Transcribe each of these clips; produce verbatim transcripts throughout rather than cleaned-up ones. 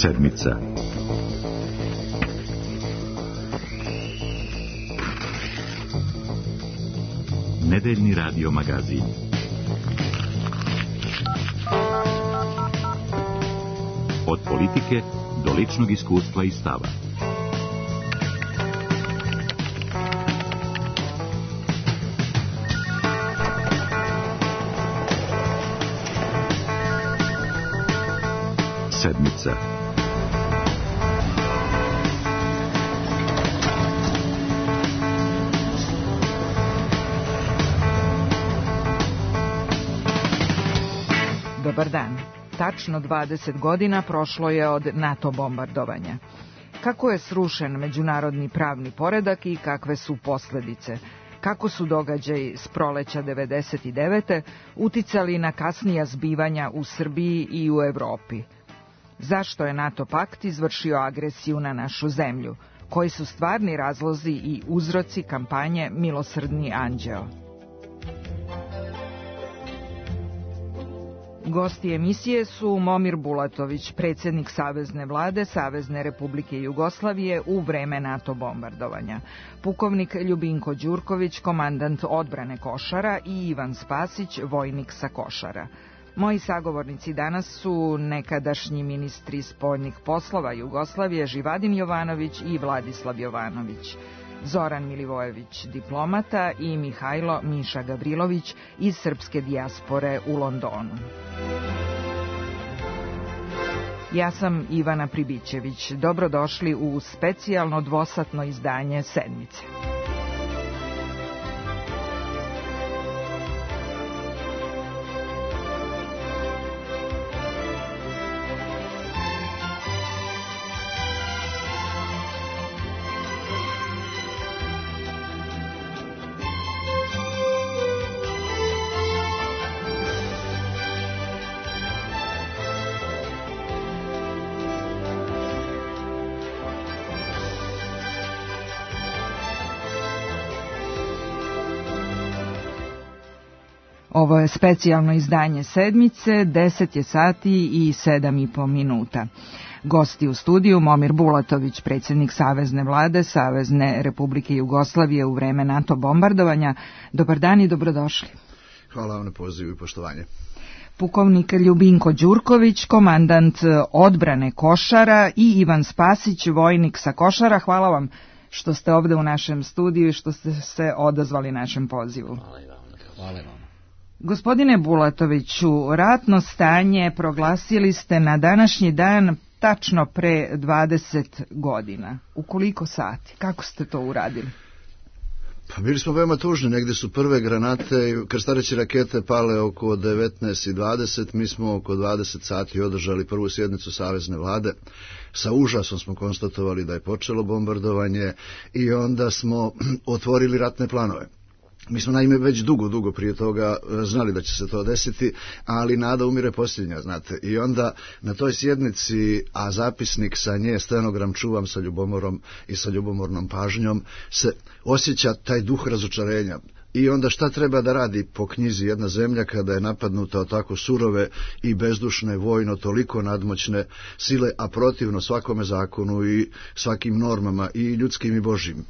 Sedmica. Nedeljni radio magazin. Od politike do ličnog iskustva i stava. Sedmica. Dobar dan. Tačno dvadeset godina prošlo je od NATO bombardovanja. Kako je srušen međunarodni pravni poredak i kakve su posljedice? Kako su događaji s proleća devedeset devete uticali na kasnija zbivanja u Srbiji i u Evropi? Zašto je NATO pakt izvršio agresiju na našu zemlju? Koji su stvarni razlozi i uzroci kampanje Milosrdni anđeo? Gosti emisije su Momir Bulatović, predsjednik Savezne vlade Savezne Republike Jugoslavije u vreme NATO bombardovanja, pukovnik Ljubinko Đurković, komandant odbrane Košara i Ivan Spasić, vojnik sa Košara. Moji sagovornici danas su nekadašnji ministri spoljnih poslova Jugoslavije Živadin Jovanović i Vladislav Jovanović, Zoran Milivojević, diplomata, i Mihajlo Miša Gavrilović iz srpske dijaspore u Londonu. Ja sam Ivana Pribićević. Dobrodošli u specijalno dvosatno izdanje Sedmice. Ovo je specijalno izdanje Sedmice, deset je sati i sedam i po minuta. Gosti u studiju Momir Bulatović, predsjednik Savezne vlade Savezne Republike Jugoslavije u vreme NATO bombardovanja. Dobar dan i dobrodošli. Hvala vam na pozivu i poštovanje. Pukovnik Ljubinko Đurković, komandant odbrane Košara, i Ivan Spasić, vojnik sa Košara. Hvala vam što ste ovdje u našem studiju i što ste se odazvali našem pozivu. Hvala vam. Hvala vam. Gospodine Bulatoviću, ratno stanje proglasili ste na današnji dan tačno pre dvadeset godina. U koliko sati? Kako ste to uradili? Pa bili smo veoma tužni, negdje su prve granate, krstareće rakete pale oko devetnaest i dvadeset, mi smo oko dvadeset sati održali prvu sjednicu Savezne vlade. Sa užasom smo konstatovali da je počelo bombardovanje i onda smo otvorili ratne planove. Mi smo naime već dugo, dugo prije toga znali da će se to desiti, ali nada umire posljednja, znate. I onda na toj sjednici, a zapisnik sa nje, stenogram čuvam sa ljubomorom i sa ljubomornom pažnjom, se osjeća taj duh razočarenja. I onda šta treba da radi po knjizi jedna zemlja kada je napadnuta od tako surove i bezdušne, vojno toliko nadmoćne sile, a protivno svakome zakonu i svakim normama i ljudskim i božjim.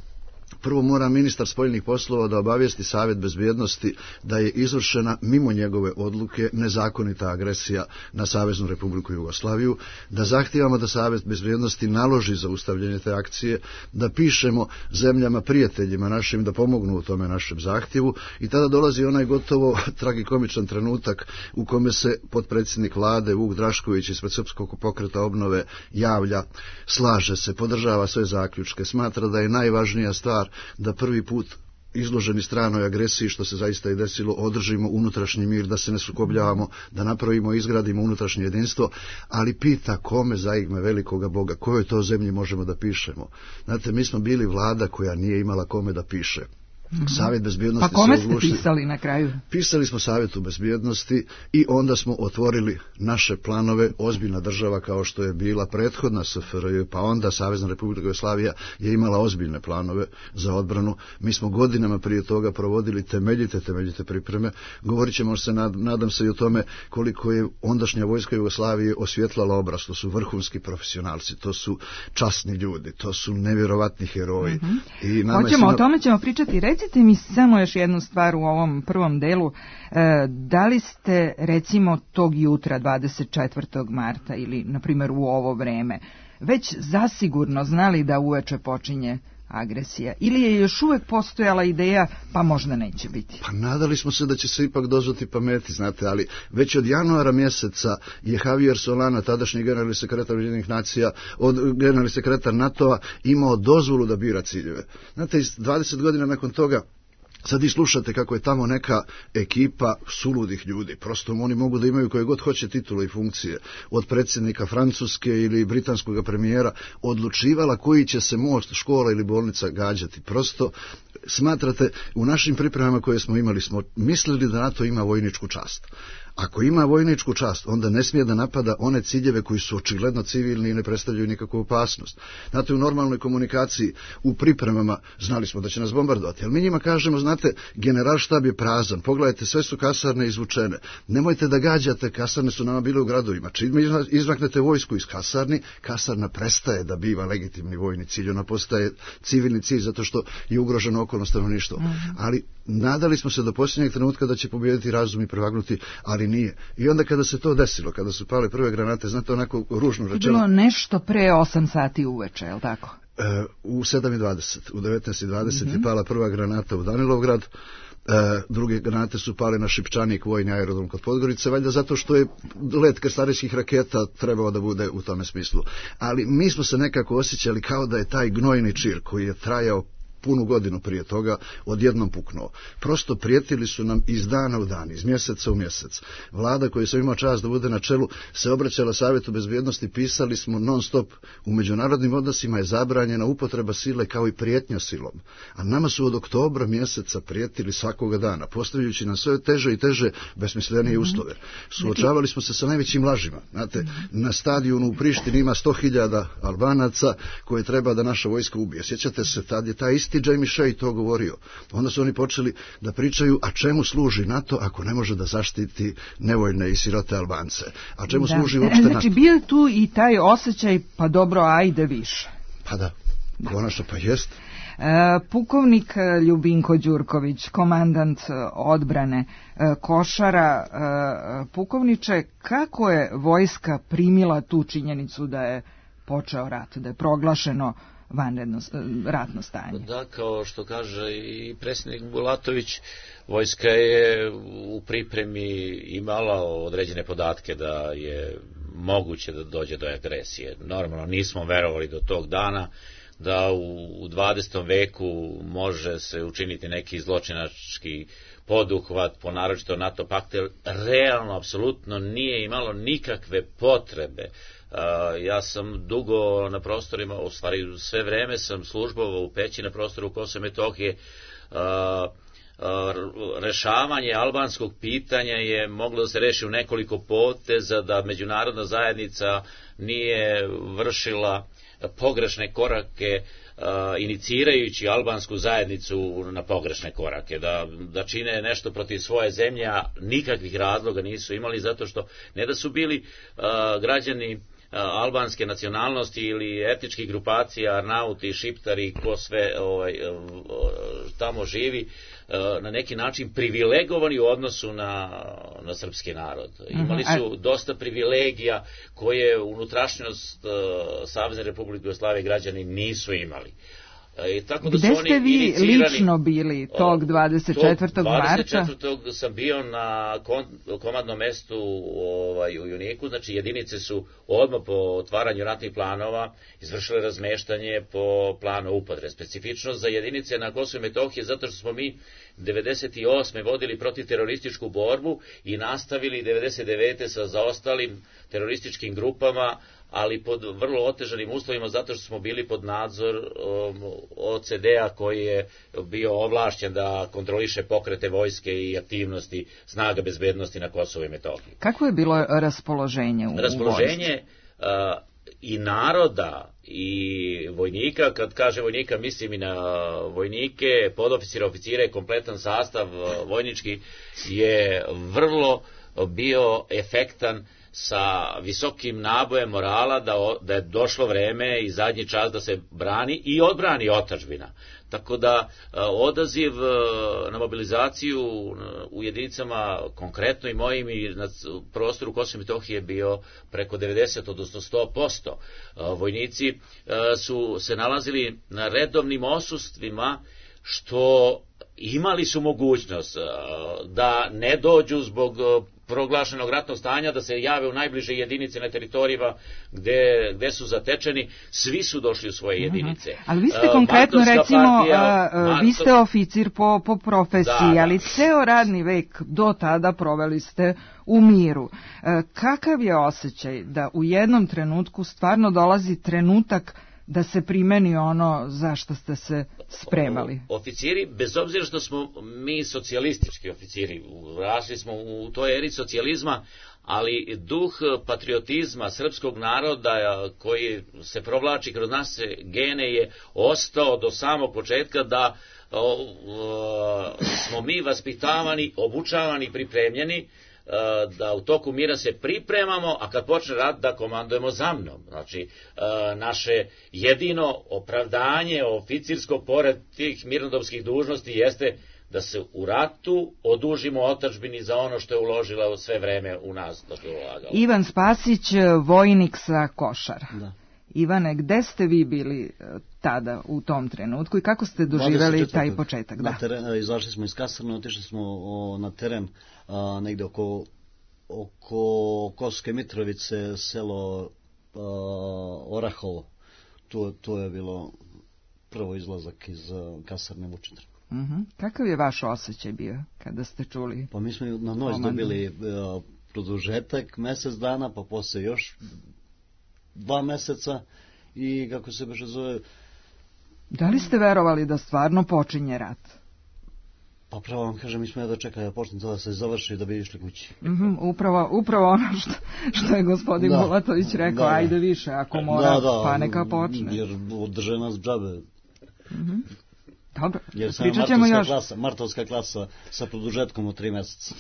Prvo mora ministar spoljnih poslova da obavijesti Savjet bezbjednosti da je izvršena mimo njegove odluke nezakonita agresija na Saveznu Republiku Jugoslaviju, da zahtijevamo da Savjet bezbjednosti naloži zaustavljanje te akcije, da pišemo zemljama prijateljima našim da pomognu u tome našem zahtjevu, i tada dolazi onaj gotovo tragikomičan trenutak u kome se potpredsjednik vlade Vuk Drašković ispred Srpskog pokreta obnove javlja, slaže se, podržava sve zaključke, smatra da je najvažnija stvar da prvi put izloženi stranoj agresiji, što se zaista i desilo, održimo unutrašnji mir, da se ne sukobljavamo, da napravimo i izgradimo unutrašnje jedinstvo, ali pita kome zaigme velikoga Boga, kojoj to zemlji možemo da pišemo. Znate, mi smo bili vlada koja nije imala kome da piše. Mm-hmm. Savjet bezbjednosti. Pa kome ste pisali na kraju? Pisali smo Savjetu bezbjednosti i onda smo otvorili naše planove. Ozbiljna država kao što je bila prethodna S F R J, pa onda Savezna Republika Jugoslavija je imala ozbiljne planove za odbranu. Mi smo godinama prije toga provodili temeljite, temeljite pripreme. Govorit ćemo se, nadam se, i o tome koliko je ondašnja vojska Jugoslavije osvjetlala obraz. To su vrhunski profesionalci, to su časni ljudi, to su nevjerovatni heroji. Mm-hmm. I nama Hoćemo, na... o tome ćemo pričati. Recite mi samo još jednu stvar u ovom prvom delu. E, da li ste, recimo, tog jutra dvadeset četvrtog marta ili, na primjer, u ovo vreme, već zasigurno znali da uveče počinje agresija? Ili je još uvijek postojala ideja, pa možda neće biti? Pa nadali smo se da će se ipak dozvati pameti, znate, ali već od januara mjeseca je Javier Solana, tadašnji generalni sekretar Ujedinjenih nacija, od generalni sekretar NATO-a, imao dozvolu da bira ciljeve. Znate, dvadeset godina nakon toga, sad i slušate kako je tamo neka ekipa suludih ljudi. Prosto oni mogu da imaju koje god hoće titule i funkcije. Od predsjednika Francuske ili britanskog premijera odlučivala koji će se most, škola ili bolnica gađati. Prosto smatrate, u našim pripremama koje smo imali smo mislili da NATO ima vojničku čast. Ako ima vojničku čast, onda ne smije da napada one ciljeve koji su očigledno civilni i ne predstavljaju nikakvu opasnost. Znate, u normalnoj komunikaciji, u pripremama, znali smo da će nas bombardovati, ali mi njima kažemo, znate, generalštab je prazan, pogledajte, sve su kasarne izvučene, nemojte da gađate, kasarne su nama bile u gradovima, čim izmaknete vojsku iz kasarni, kasarna prestaje da biva legitimni vojni cilj, ona postaje civilni cilj zato što je ugroženo okolno stanovništvo. Mm-hmm. Ali nadali smo se do posljednjeg trenutka da će pobijediti razum i prevagnuti, ali nije. I onda kada se to desilo, kada su pale prve granate, znate, onako ružno rečeno... Bilo nešto pre osam sati uveče, je li tako? E, u sedam i dvadeset, u devetnaest i dvadeset mm-hmm. je pala prva granata u Danilovgrad, e, druge granate su pale na Šipčanik, vojni aerodrom kod Podgorice, valjda zato što je let krstarećkih raketa trebao da bude u tome smislu. Ali mi smo se nekako osjećali kao da je taj gnojni čir koji je trajao punu godinu prije toga odjednom puknuo. Prosto prijetili su nam iz dana u dan, iz mjeseca u mjesec. Vlada koju sam imao čast da bude na čelu se obraćala Savjetu bezbjednosti, pisali smo non stop, u međunarodnim odnosima je zabranjena upotreba sile kao i prijetnja silom. A nama su od oktobra mjeseca prijetili svakoga dana, postavljajući nam sve teže i teže besmislenije uslove. Suočavali smo se sa najvećim lažima. Znate, na stadionu u Prištini ima sto hiljada Albanaca koje treba da naša vojska ubije. Sjećate se, tad je taj isti Jamie Shea to govorio. Onda su oni počeli da pričaju, a čemu služi NATO ako ne može da zaštiti nevoljne i sirote Albance? A čemu da. služi uopšte NATO? Znači, bio tu i taj osjećaj, pa dobro, ajde više. Pa da, konačno, pa jest. E, pukovnik Ljubinko Đurković, komandant odbrane e, Košara, e, pukovniče, kako je vojska primila tu činjenicu da je počeo rat, da je proglašeno vanredno ratno stanje? Da, kao što kaže i predsjednik Bulatović, vojska je u pripremi imala određene podatke da je moguće da dođe do agresije. Normalno nismo verovali do tog dana da u dvadesetom veku može se učiniti neki zločinački poduhvat po naročito NATO paktu, jer realno, apsolutno nije imalo nikakve potrebe. Uh, ja sam dugo na prostorima, u stvari sve vreme sam službovao u Peći na prostoru Kosova i Metohije. Uh, uh, rešavanje albanskog pitanja je moglo da se reši u nekoliko poteza, da međunarodna zajednica nije vršila pogrešne korake, uh, inicirajući albansku zajednicu na pogrešne korake, da, da čine nešto protiv svoje zemlje, a nikakvih razloga nisu imali, zato što ne da su bili uh, građani albanske nacionalnosti ili etničkih grupacija, Arnauti, Šiptari, ko sve ovaj, tamo živi, na neki način privilegovani u odnosu na, na srpski narod. Imali su dosta privilegija koje unutrašnjost Savezne Republike Jugoslavije građani nisu imali. I tako da Gde su ste oni vi lično bili tog dvadeset četvrtog marta? dvadeset četvrtog sam bio na komandnom mestu ovaj, u Juniku, znači jedinice su odmah po otvaranju ratnih planova izvršile razmeštanje po planu upotrebe. Specifično za jedinice na Kosovu i Metohiji, zato što smo mi devedeset osme vodili protivterorističku borbu i nastavili devedeset devete sa zaostalim terorističkim grupama, ali pod vrlo otežanim uslovima zato što smo bili pod nadzor O C D-a koji je bio ovlašćen da kontroliše pokrete vojske i aktivnosti snaga bezbednosti na Kosovu i Metohiji. Kako je bilo raspoloženje u Raspoloženje uh, i naroda i vojnika, kad kaže vojnika mislim i na vojnike, podoficire, oficire, kompletan sastav vojnički je vrlo bio efektan sa visokim nabojem morala da, da je došlo vreme i zadnji čas da se brani i odbrani otadžbina. Tako da odaziv na mobilizaciju u jedinicama konkretno i mojim i na prostoru Kosova i Metohije je bio preko devedeset odnosno sto posto. Vojnici su se nalazili na redovnim osudstvima, što imali su mogućnost da ne dođu zbog proglašenog ratnog stanja, da se jave u najbliže jedinice na teritorijima gde, gde su zatečeni, svi su došli u svoje jedinice. Mm-hmm. Ali vi ste konkretno, uh, recimo, partija, uh, uh, vi ste oficir po, po profesiji, da, ali ceo radni vek do tada proveli ste u miru. Uh, kakav je osjećaj da u jednom trenutku stvarno dolazi trenutak da se primeni ono za što ste se spremali? Oficiri, bez obzira što smo mi socijalistički oficiri, rasli smo u toj eri socijalizma, ali duh patriotizma srpskog naroda koji se provlači kroz naše gene je ostao do samog početka, da o, o, smo mi vaspitavani, obučavani, pripremljeni da u toku mira se pripremamo, a kad počne rat da komandujemo za mnom. Znači, naše jedino opravdanje oficirsko pored tih mirnodopskih dužnosti jeste da se u ratu odužimo otadžbini za ono što je uložila sve vreme u nas. Ivan Spasić, vojnik sa Košara. Da. Ivane, gde ste vi bili tada u tom trenutku i kako ste doživjeli taj početak? Na teren, izašli smo iz kasarne, otišli smo o, na teren a, negde oko, oko Kosovske Mitrovice, selo a, Orahovo. Tu, tu je bilo prvo izlazak iz a, kasarne Vučedar. Uh-huh. Kakav je vaš osjećaj bio kada ste čuli? Pa mi smo na noć dobili a, produžetak mesec dana, pa posle još dva meseca i kako se beše zove... Da li ste verovali da stvarno počinje rat? Pa pravo vam kažem, mi smo ja da čekali da počne da se završi da bi išli kući. Mm-hmm, upravo, upravo ono što, što je gospodin da, Bulatović rekao, da, ajde više, ako mora, da, da, pa neka počne. Jer održe nas džabe. Mm-hmm. Dobro, jer sam pričat ćemo još... Klasa, martovska klasa sa produžetkom od tri meseca.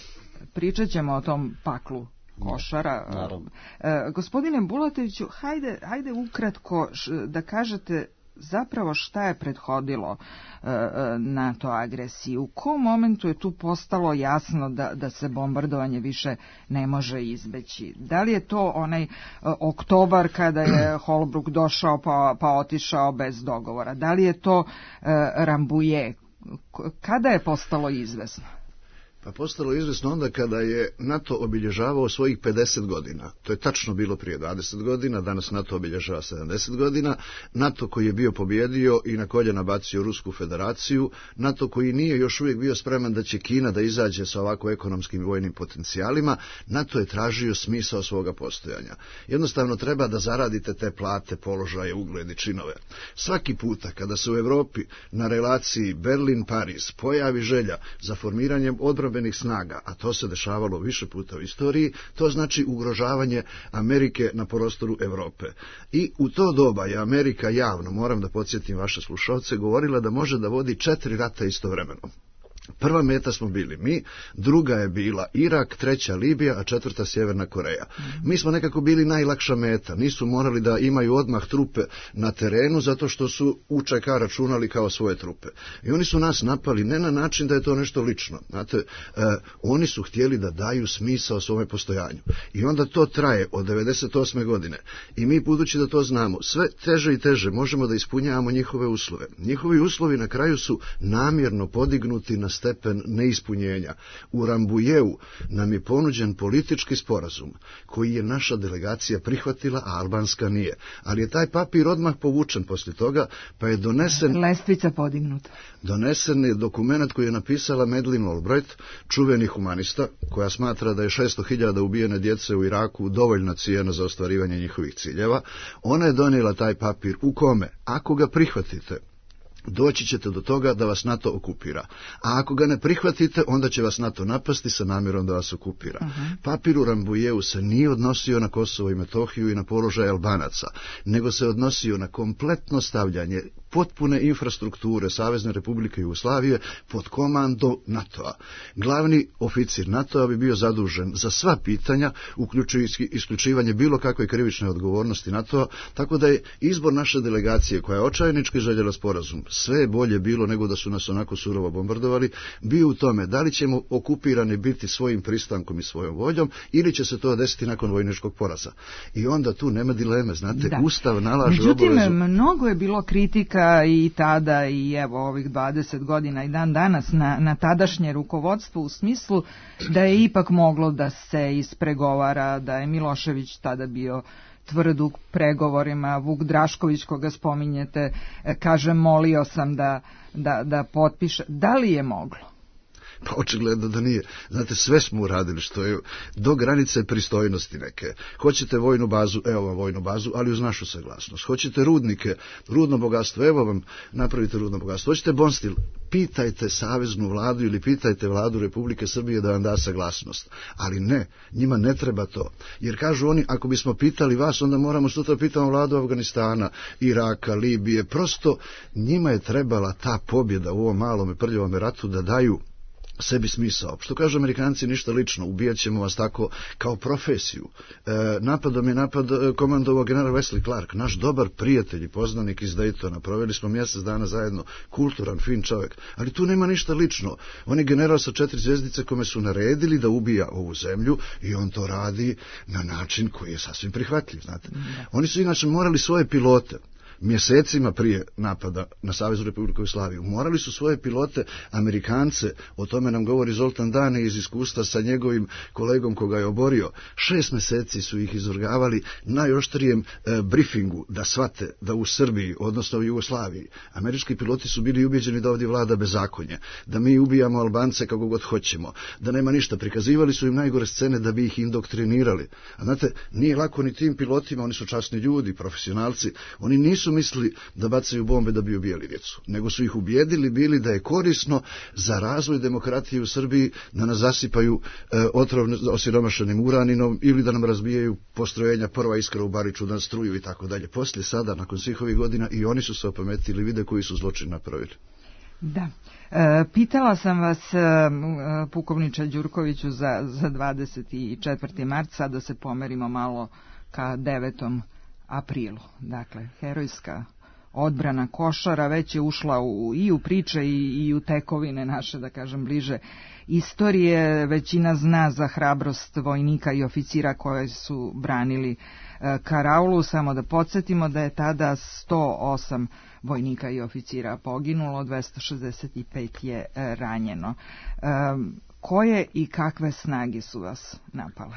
Pričat ćemo o tom paklu Košara. Naravno. E, gospodine Bulatoviću, hajde, hajde ukratko š, da kažete zapravo šta je prethodilo e, NATO agresiji. U kom momentu je tu postalo jasno da, da se bombardovanje više ne može izbeći? Da li je to onaj e, oktobar kada je Holbrooke došao pa, pa otišao bez dogovora? Da li je to e, Rambouillet? Kada je postalo izvesno? Pa postalo izvesno onda kada je NATO obilježavao svojih pedeset godina. To je tačno bilo prije dvadeset godina, danas NATO obilježava sedamdeset godina. NATO koji je bio pobjedio i na koljena bacio Rusku federaciju. NATO koji nije još uvijek bio spreman da će Kina da izađe sa ovako ekonomskim i vojnim potencijalima. NATO je tražio smisao svoga postojanja. Jednostavno treba da zaradite te plate, položaje, ugled i činove. Svaki puta kada se u Evropi na relaciji Berlin-Pariz pojavi želja za formiranjem odbrane snaga, a to se dešavalo više puta u istoriji, to znači ugrožavanje Amerike na prostoru Evrope. I u to doba je Amerika javno, moram da podsjetim vaše slušalce, govorila da može da vodi četiri rata istovremeno. Prva meta smo bili mi, druga je bila Irak, treća Libija, a četvrta Sjeverna Koreja. Mi smo nekako bili najlakša meta, nisu morali da imaju odmah trupe na terenu zato što su U Č K računali kao svoje trupe. I oni su nas napali ne na način da je to nešto lično. Znate, eh, oni su htjeli da daju smisao svome postojanju. I onda to traje od devedeset osme godine. I mi, budući da to znamo, sve teže i teže možemo da ispunjavamo njihove uslove. Njihovi uslovi na kraju su namjerno podignuti na stepen neispunjenja. U Rambujeu nam je ponuđen politički sporazum koji je naša delegacija prihvatila, a albanska nije. Ali je taj papir odmah povučen poslije toga, pa je donesen... Lestvica podignuta. Donesen je dokument koji je napisala Madeleine Albright, čuveni humanista, koja smatra da je šesto hiljada ubijene djece u Iraku dovoljna cijena za ostvarivanje njihovih ciljeva. Ona je donijela taj papir u kome, ako ga prihvatite, doći ćete do toga da vas NATO okupira. A ako ga ne prihvatite, onda će vas NATO napasti sa namjerom da vas okupira. Uh-huh. Papir u Rambujeu se nije odnosio na Kosovo i Metohiju i na položaj Albanaca, nego se odnosio na kompletno stavljanje potpune infrastrukture Savezne Republike Jugoslavije pod komando NATO-a. Glavni oficir NATO-a bi bio zadužen za sva pitanja, uključujući isključivanje bilo kakve krivične odgovornosti NATO-a, tako da je izbor naše delegacije, koja je očajnički željela sporazum, sve je bolje bilo nego da su nas onako surovo bombardovali, bio u tome da li ćemo okupirani biti svojim pristankom i svojom voljom, ili će se to desiti nakon vojničkog poraza. I onda tu nema dileme, znate, da. Ustav nalaže Međutim, obavezu. mnogo je bilo kritika i tada i evo ovih dvadeset godina i dan danas na, na tadašnje rukovodstvo u smislu da je ipak moglo da se ispregovara, da je Milošević tada bio tvrd u pregovorima, Vuk Drašković koga spominjete kaže molio sam da, da, da potpiše. Da li je moglo? Pa očigledno da nije. Znate, sve smo uradili što je do granice pristojnosti neke. Hoćete vojnu bazu, evo vam vojnu bazu, ali uz našu saglasnost. Hoćete rudnike, rudno bogatstvo, evo vam napravite rudno bogatstvo. Hoćete Bonstil, pitajte saveznu vladu ili pitajte vladu Republike Srbije da vam da saglasnost. Ali ne, njima ne treba to. Jer kažu oni, ako bismo pitali vas, onda moramo sutra pitamo vladu Afganistana, Iraka, Libije. Prosto njima je trebala ta pobjeda u ovom malom i prljavom ratu da daju sebi smisao. Što kažu Amerikanci, ništa lično, ubijat ćemo vas tako kao profesiju. E, napadom je napad komandovao general Wesley Clark, naš dobar prijatelj i poznanik iz Daytona. Proveli smo mjesec dana zajedno, kulturan, fin čovjek. Ali tu nema ništa lično. On je general sa četiri zvjezdice kome su naredili da ubija ovu zemlju i on to radi na način koji je sasvim prihvatljiv. Znate. Oni su inače morali svoje pilote mjesecima prije napada na Saveznu Republiku Jugoslaviju. Morali su svoje pilote, Amerikance, o tome nam govori Zoltan Dane iz iskustva sa njegovim kolegom koga je oborio. Šest mjeseci su ih izvrgavali najoštrijem e, briefingu da shvate da u Srbiji, odnosno u Jugoslaviji, američki piloti su bili ubjeđeni da ovdje vlada bezakonje, da mi ubijamo Albance kako god hoćemo, da nema ništa. Prikazivali su im najgore scene da bi ih indoktrinirali. A znate, nije lako ni tim pilotima, oni su časni ljudi, profesionalci, oni nisu mislili da bacaju bombe da bi ubijali djecu, nego su ih ubijedili bili da je korisno za razvoj demokratije u Srbiji da nas zasipaju e, otrovno osiromašenim uraninom ili da nam razbijaju postrojenja Prva iskra u Bariču, da nas struju i tako dalje. Poslije sada, nakon svih ovih godina, i oni su se opametili, vide koji su zločin napravili. Da. E, pitala sam vas, e, pukovniče Đurkoviću, za, za dvadeset četvrti mart, sad da se pomerimo malo ka devetom aprilu. Dakle, herojska odbrana Košara već je ušla u, i u priče i, i u tekovine naše, da kažem, bliže istorije. Većina zna za hrabrost vojnika i oficira koji su branili e, karaulu. Samo da podsjetimo da je tada sto osam vojnika i oficira poginulo, dvesta šezdeset pet je e, ranjeno. E, koje i kakve snage su vas napale?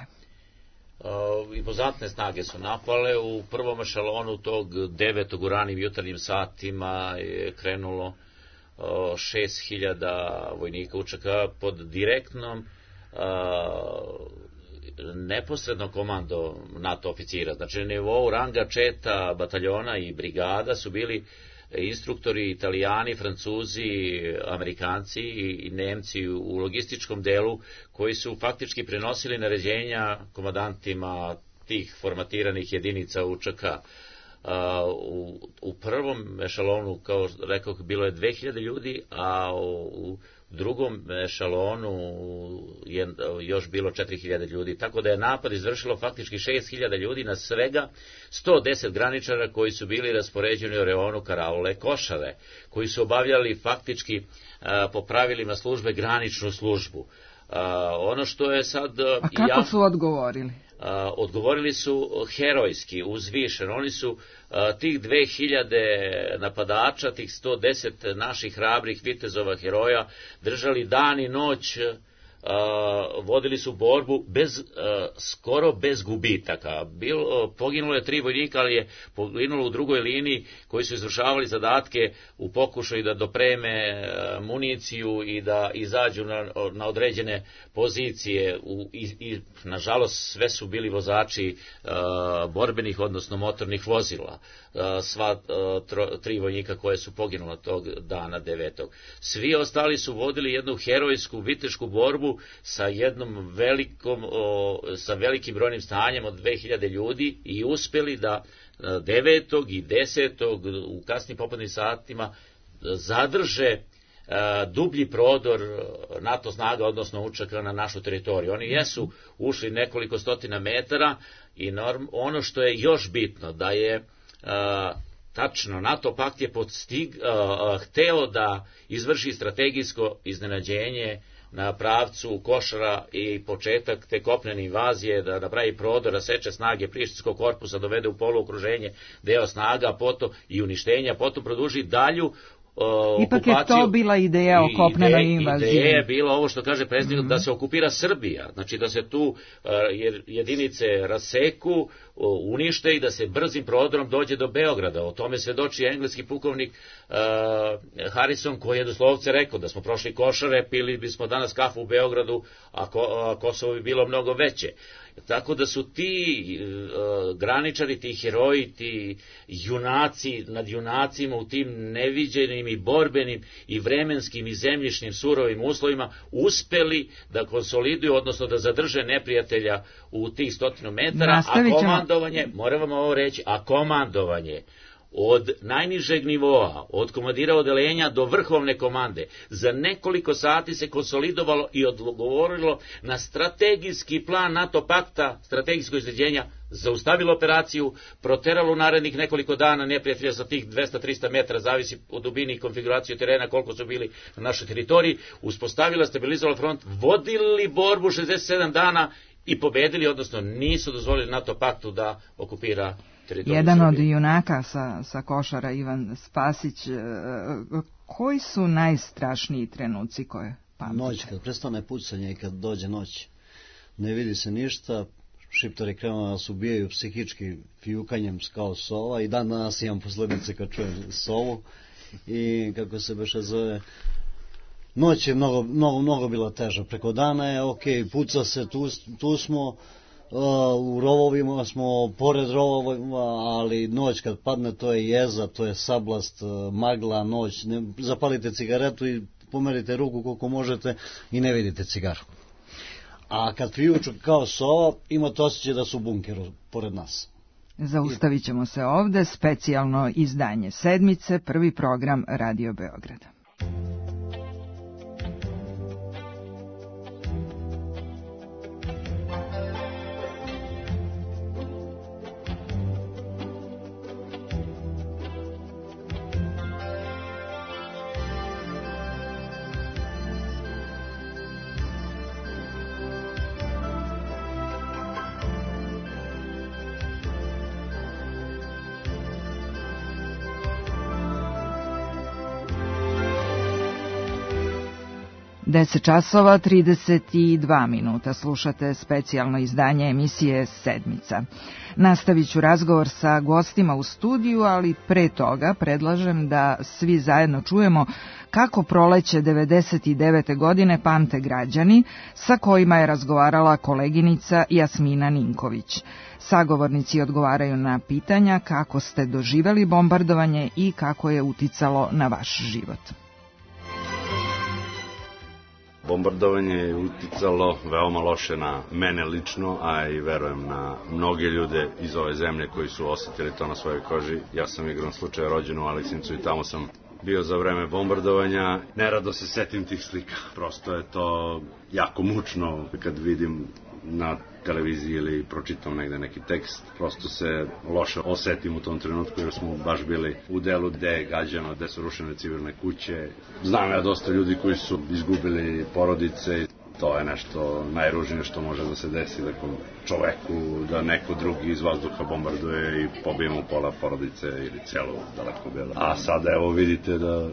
Uh, impozantne snage su napale. U prvom ešalonu tog devetog u ranim jutarnjim satima je krenulo uh, šest hiljada vojnika U Č K pod direktnom uh, neposredno komando NATO oficira. Znači na nivou ranga četa, bataljona i brigada su bili instruktori Italijani, Francuzi, Amerikanci i Nemci u logističkom delu koji su faktički prenosili naređenja komandantima tih formatiranih jedinica U Č K. U, u prvom ešalonu, kao rekao, bilo je dve hiljade ljudi, a u drugom ešalonu je još bilo četiri hiljade ljudi, tako da je napad izvršilo faktički šest hiljada ljudi na svega sto deset graničara koji su bili raspoređeni u reonu karaule Košare, koji su obavljali faktički a, po pravilima službe graničnu službu. A, ono što je sad... A kako ja, su odgovorili? odgovorili su herojski, uzvišeno. Oni su tih dve hiljade napadača, tih sto deset naših hrabrih vitezova heroja držali dan i noć, vodili su borbu bez, skoro bez gubitaka. Bil, poginulo je tri vojnika, ali je poginulo u drugoj liniji koji su izvršavali zadatke u pokušaju da dopreme municiju i da izađu na, na određene pozicije. U, i, i, nažalost, sve su bili vozači uh, borbenih, odnosno motornih vozila. Uh, sva uh, tro, tri vojnika koje su poginula tog dana devetog. Svi ostali su vodili jednu herojsku vitešku borbu sa jednom velikom, o, sa velikim brojnim stanjem od dve hiljade ljudi i uspeli da devetog i desetog u kasnim popodnevnim satima zadrže a, dublji prodor NATO snaga, odnosno učaka na našu teritoriju. Oni jesu ušli nekoliko stotina metara i norm, ono što je još bitno da je a, tačno, NATO pakt je podstig, a, hteo da izvrši strategijsko iznenađenje na pravcu Košara i početak te kopnene invazije, da napravi prodor, da seče snage Prištinskog korpusa, dovede u poluokruženje deo snaga, potom i uništenja, potom produži dalju Uh, Ipak okupaciju. Je to bila ideja o kopnenoj invaziji. Ideja je bila ovo što kaže predsjednik, mm-hmm. da se okupira Srbija, znači da se tu uh, jedinice raseku, uh, unište i da se brzim prodorom dođe do Beograda. O tome svedoči engleski pukovnik uh, Harrison, koji je doslovce rekao da smo prošli Košare, pili bismo danas kafu u Beogradu, a, Ko, a Kosovo bi bilo mnogo veće. Tako da su ti uh, graničari, ti heroji, ti junaci nad junacima u tim neviđenim i borbenim i vremenskim i zemljišnim surovim uslovima uspeli da konsoliduju, odnosno da zadrže neprijatelja u tih stotinu metara, a komandovanje, moram vam ovo reći, a komandovanje od najnižeg nivoa, od komandira odelenja do vrhovne komande, za nekoliko sati se konsolidovalo i odgovorilo na strategijski plan NATO pakta, strategijsko izređenja, zaustavilo operaciju, proteralo u narednih nekoliko dana neprijatelja sa tih dvesta do trista metara, zavisi od dubini i konfiguraciju terena koliko su bili na našoj teritoriji, uspostavila, stabilizovala front, vodili borbu šezdeset sedam dana i pobedili, odnosno nisu dozvolili NATO paktu da okupira teritoriju Jedan Srbije. Od junaka sa, sa Košara, Ivan Spasić, koji su najstrašniji trenuci koje pamtite? Noć, kad prestane pucanje i kad dođe noć, ne vidi se ništa, Šiptari krenu da nas ubijaju psihički fijukanjem kao sova i dan danas imam posledice kad čujem sovu i kako se beše zove. Noć je mnogo, mnogo, mnogo bila teža, preko dana je ok, puca se, tu, tu smo, Uh, u rovovima smo, pored rovova, ali noć kad padne to je jeza, to je sablast, uh, magla, noć, ne, zapalite cigaretu i pomerite ruku koliko možete i ne vidite cigaru. A kad fijuču kao sova, imate osjećaj da su u bunkeru pored nas. Zaustavit ćemo se ovde, specijalno izdanje sedmice, prvi program Radio Beograda. deset časova trideset dva minuta, slušate specijalno izdanje emisije Sedmica. Nastavit ću razgovor sa gostima u studiju, ali pre toga predlažem da svi zajedno čujemo kako proleće devedeset devete godine pamte građani, sa kojima je razgovarala koleginica Jasmina Ninković. Sagovornici odgovaraju na pitanja kako ste doživeli bombardovanje i kako je uticalo na vaš život. Bombardovanje je uticalo veoma loše na mene lično, a i verujem na mnoge ljude iz ove zemlje koji su osetili to na svojoj koži. Ja sam igrom slučaja rođen u Aleksincu i tamo sam bio za vreme bombardovanja. Nerado se setim tih slika. Prosto je to jako mučno kad vidim na televiziji ili pročitam negde neki tekst. Prosto se loše osetim u tom trenutku jer smo baš bili u delu gde je gađano, gde su rušene civilne kuće. Znam ja dosta ljudi koji su izgubili porodice. To je nešto najružnije što može da se desi nekom čoveku, da neko drugi iz vazduha bombarduje i pobije mu pola porodice ili celu daleko bela. A sada evo vidite da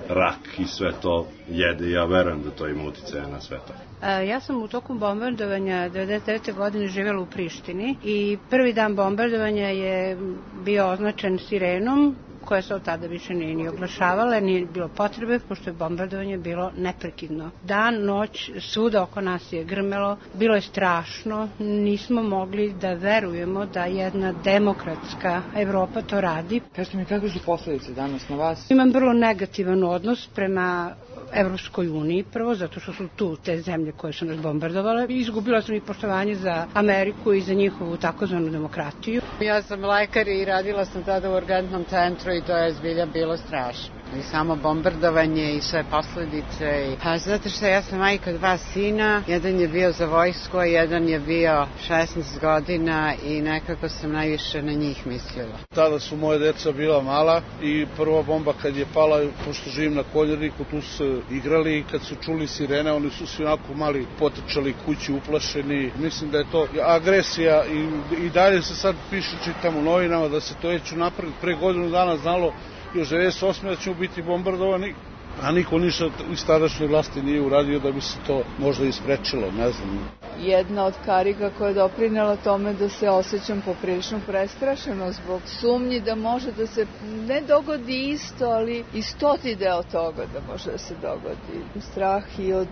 rak i sve to jede i ja verujem da to ima uticaja na sve to. Ja sam u toku bombardovanja devedeset devete godine živjela u Prištini i prvi dan bombardovanja je bio označen sirenom koja se od tada više nije ni oglašavala, nije bilo potrebe, pošto je bombardovanje bilo neprekidno. Dan, noć, svuda oko nas je grmelo, bilo je strašno, nismo mogli da verujemo da jedna demokratska Evropa to radi. Kažete mi, kakve su posledice danas na vas? Imam vrlo negativan odnos prema Evropskoj uniji, prvo zato što su tu te zemlje koje su nas bombardovale. Izgubila sam i poštovanje za Ameriku i za njihovu takozvanu demokratiju. Ja sam lekar i radila sam tada u urgentnom centru i to je zbilja bilo strašno. I samo bombardovanje i sve posledice. Pa zato što ja sam majka dva sina, jedan je bio za vojsku, a jedan je bio šesnaest godina i nekako sam najviše na njih mislila. Tada su moje deca bila mala i prva bomba kad je pala, pošto živim na Koljeniku, tu su igrali i kad su čuli sirene, oni su svi onako mali potrčali kući uplašeni. Mislim da je to agresija i, i dalje se sad piše, čitam u novinama da se to već unapred pre godinu dana znalo još devedeset osme da ćemo biti bombardovani, a niko ništa iz tadašnje vlasti nije uradio da bi se to možda isprečilo, ne znam. Jedna od karika koja je doprinela tome da se osjećam poprilično prestrašeno zbog sumnji da može da se ne dogodi isto, ali i stoti deo toga da može da se dogodi. Strah i od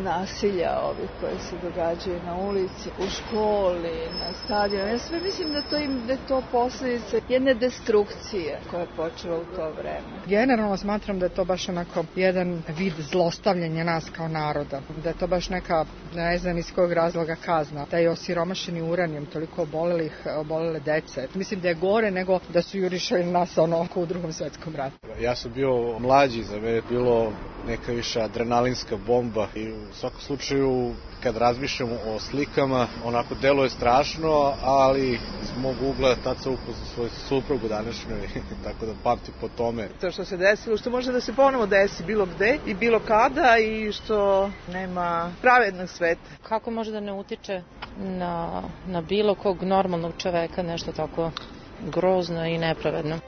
nasilja ovih koje se događaju na ulici, u školi, na stadionu. Ja sve mislim da to, im, da je to posljedica jedne destrukcije koja je počela u to vreme. Generalno smatram da je to baš onako jedan vid zlostavljanja nas kao naroda. Da je to baš neka, ne znam iz kojeg razloga kazna. Da je osiromašeni uranijum, toliko obolelih, obolele dece. Mislim da je gore nego da su jurišali nas ono u drugom svetskom ratu. Ja sam bio mlađi, za mene je bilo neka više adrenalinska bomba i u svakom slučaju kad razmišljamo o slikama, onako delo je strašno, ali iz mog ugla tad sam upoznao svoju suprugu današnjoj, tako da pamtim po tome. To što se desilo, što može da se ponovo desi bilo gde i bilo kada i što nema pravednog sveta. Kako može da ne utiče na, na bilo kog normalnog čoveka nešto tako grozno i nepravedno?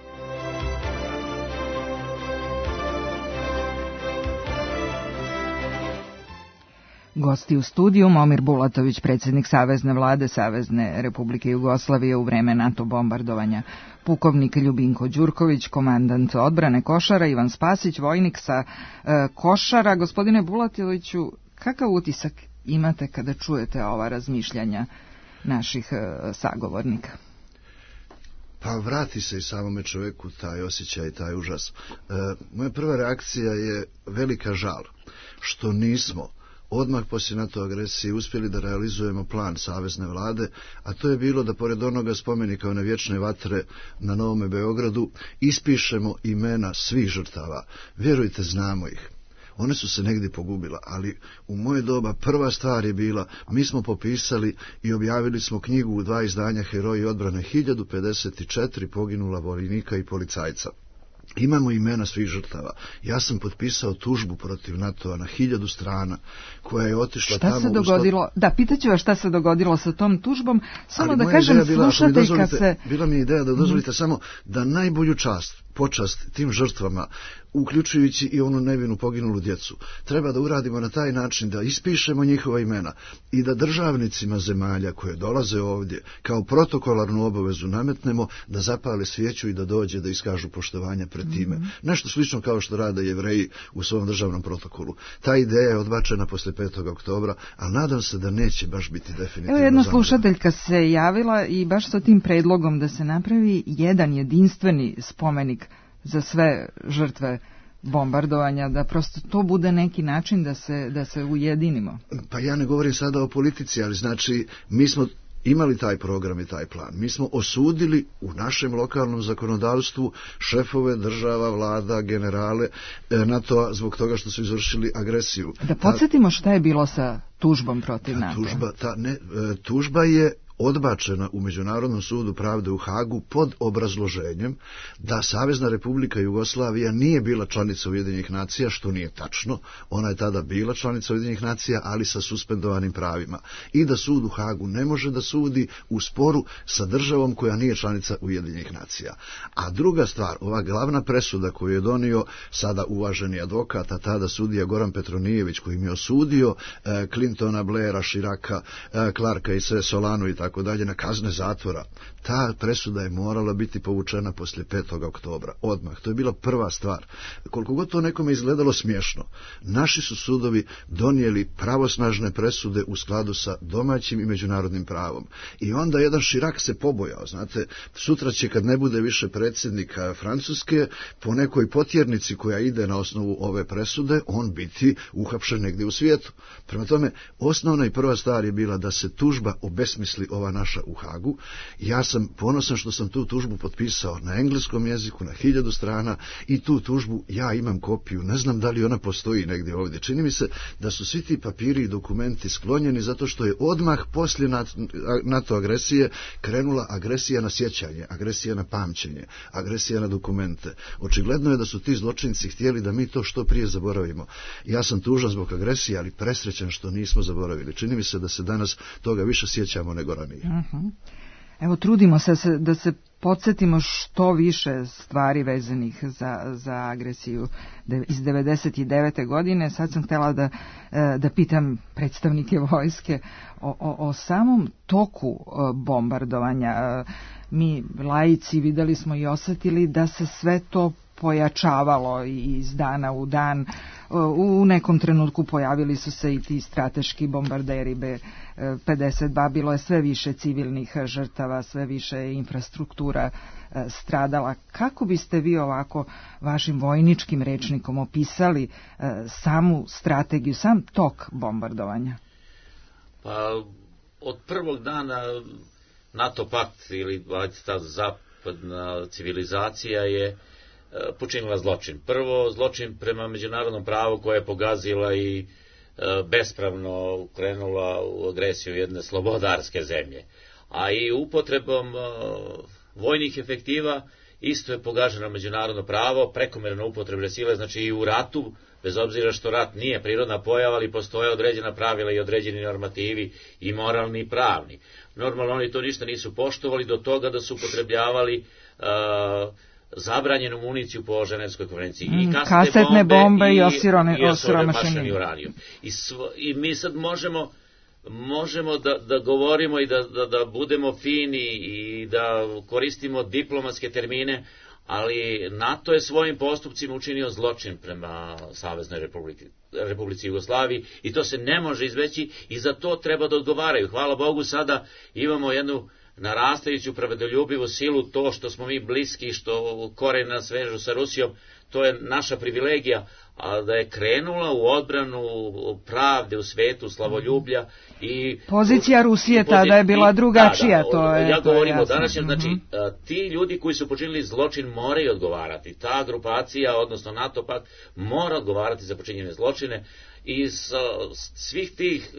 Gosti u studiju Momir Bulatović, predsjednik Savezne vlade Savezne Republike Jugoslavije u vreme NATO bombardovanja, pukovnik Ljubinko Đurković, komandant odbrane Košara, Ivan Spasić, vojnik sa e, Košara. Gospodine Bulatoviću, kakav utisak imate kada čujete ova razmišljanja naših e, sagovornika? Pa vrati se i samome čoveku taj osjećaj, taj užas. E, moja prva reakcija je velika žal što nismo odmah poslije NATO agresije uspjeli da realizujemo plan Savezne vlade, a to je bilo da pored onoga spomenika one vječne vatre na Novome Beogradu ispišemo imena svih žrtava. Vjerujte, znamo ih. One su se negdje pogubila, ali u moje doba prva stvar je bila, mi smo popisali i objavili smo knjigu u dva izdanja Heroji odbrane, hiljadu pedeset četiri poginula vojnika i policajca. Imamo imena svih žrtava. Ja sam potpisao tužbu protiv NATO-a na hiljadu strana koja je otišla šta tamo... Šta se dogodilo? Sto... Da, pitaću vas šta se dogodilo sa tom tužbom, samo ali da kažem slušateljka se... Bila mi je ideja da dozvolite mm. samo da najbolju čast, počast tim žrtvama, uključujući i onu nevinu poginulu djecu, treba da uradimo na taj način da ispišemo njihova imena i da državnicima zemalja koje dolaze ovdje kao protokolarnu obavezu nametnemo da zapale svijeću i da dođe da iskažu poštovanja pred time. Mm-hmm. Nešto slično kao što rade Jevreji u svom državnom protokolu. Ta ideja je odbačena posle petog oktobra, ali nadam se da neće baš biti definitivno. Evo jedna slušateljka se javila i baš sa tim predlogom da se napravi jedan jedinstveni spomenik za sve žrtve bombardovanja, da prosto to bude neki način da se, da se ujedinimo. Pa ja ne govorim sada o politici, ali znači mi smo imali taj program i taj plan. Mi smo osudili u našem lokalnom zakonodavstvu šefove država, vlada, generale NATO-a zbog toga što su izvršili agresiju. Da podsjetimo šta je bilo sa tužbom protiv NATO. Tužba, ta, ne, tužba je odbačena u Međunarodnom sudu pravde u Hagu pod obrazloženjem da Savezna Republika Jugoslavija nije bila članica Ujedinjenih nacija, što nije tačno. Ona je tada bila članica Ujedinjenih nacija, ali sa suspendovanim pravima. I da sud u Hagu ne može da sudi u sporu sa državom koja nije članica Ujedinjenih nacija. A druga stvar, ova glavna presuda koju je donio sada uvaženi advokat, a tada sudija Goran Petronijević, koji im je osudio e, Clintona, Blaira, Širaka, e, Clarka i sve Solanu i tako dalje na kazne zatvora, ta presuda je morala biti povučena poslije petog oktobra, odmah. To je bila prva stvar. Koliko god to nekome izgledalo smiješno, naši su sudovi donijeli pravosnažne presude u skladu sa domaćim i međunarodnim pravom. I onda jedan Širak se pobojao, znate, sutra će kad ne bude više predsjednika Francuske, po nekoj potjernici koja ide na osnovu ove presude, on biti uhapšen negdje u svijetu. Prema tome, osnovna i prva stvar je bila da se tužba obesmisli, ova naša u Hagu. Ja sam ponosan što sam tu tužbu potpisao na engleskom jeziku, na hiljadu strana, i tu tužbu ja imam kopiju. Ne znam da li ona postoji negdje ovdje. Čini mi se da su svi ti papiri i dokumenti sklonjeni zato što je odmah poslije NATO agresije krenula agresija na sjećanje, agresija na pamćenje, agresija na dokumente. Očigledno je da su ti zločinci htjeli da mi to što prije zaboravimo. Ja sam tužan zbog agresije, ali presrećan što nismo zaboravili. Čini mi se da se danas toga više sjećamo nego ranije. Uh-huh. Evo, trudimo se da se podsjetimo što više stvari vezanih za, za agresiju iz devedeset devete. godine. Sad sam htjela da, da pitam predstavnike vojske o, o, o samom toku bombardovanja. Mi, laici, videli smo i osjetili da se sve to pojačavalo iz dana u dan. U nekom trenutku pojavili su se i ti strateški bombarderi B pedeset dva, bilo je sve više civilnih žrtava, sve više infrastruktura stradala. Kako biste vi ovako vašim vojničkim rečnikom opisali samu strategiju, sam tok bombardovanja? Pa, od prvog dana NATO pakt ili ta zapadna civilizacija je počinila zločin. Prvo, zločin prema međunarodnom pravu koje je pogazila i bespravno krenula u agresiju jedne slobodarske zemlje. A i upotrebom vojnih efektiva isto je pogaženo međunarodno pravo, prekomjerno upotrebe sile, znači i u ratu, bez obzira što rat nije prirodna pojava, ali postoje određena pravila i određeni normativi i moralni i pravni. Normalno oni to ništa nisu poštovali do toga da su upotrebljavali uh, zabranjenu municiju po Ženevskoj konvenciji. I kasetne, kasetne bombe, bombe i osiromašeni uranijum. I, I mi sad možemo, možemo da, da govorimo i da, da, da budemo fini i da koristimo diplomatske termine, ali NATO je svojim postupcima učinio zločin prema Saveznoj Republici, Republici Jugoslaviji i to se ne može izbeći i za to treba da odgovaraju. Hvala Bogu, sada imamo jednu narastajuću pravedoljubivu silu, to što smo mi bliski, što koren nas vežu sa Rusijom, to je naša privilegija, a da je krenula u odbranu pravde u svetu, slavoljublja i pozicija Rusije tada je bila drugačija. Da, da, to je, ja to govorim o današnjem, znači uh-huh. ti ljudi koji su počinili zločin moraju odgovarati, ta grupacija, odnosno NATO pakt, mora odgovarati za počinjene zločine. I s svih tih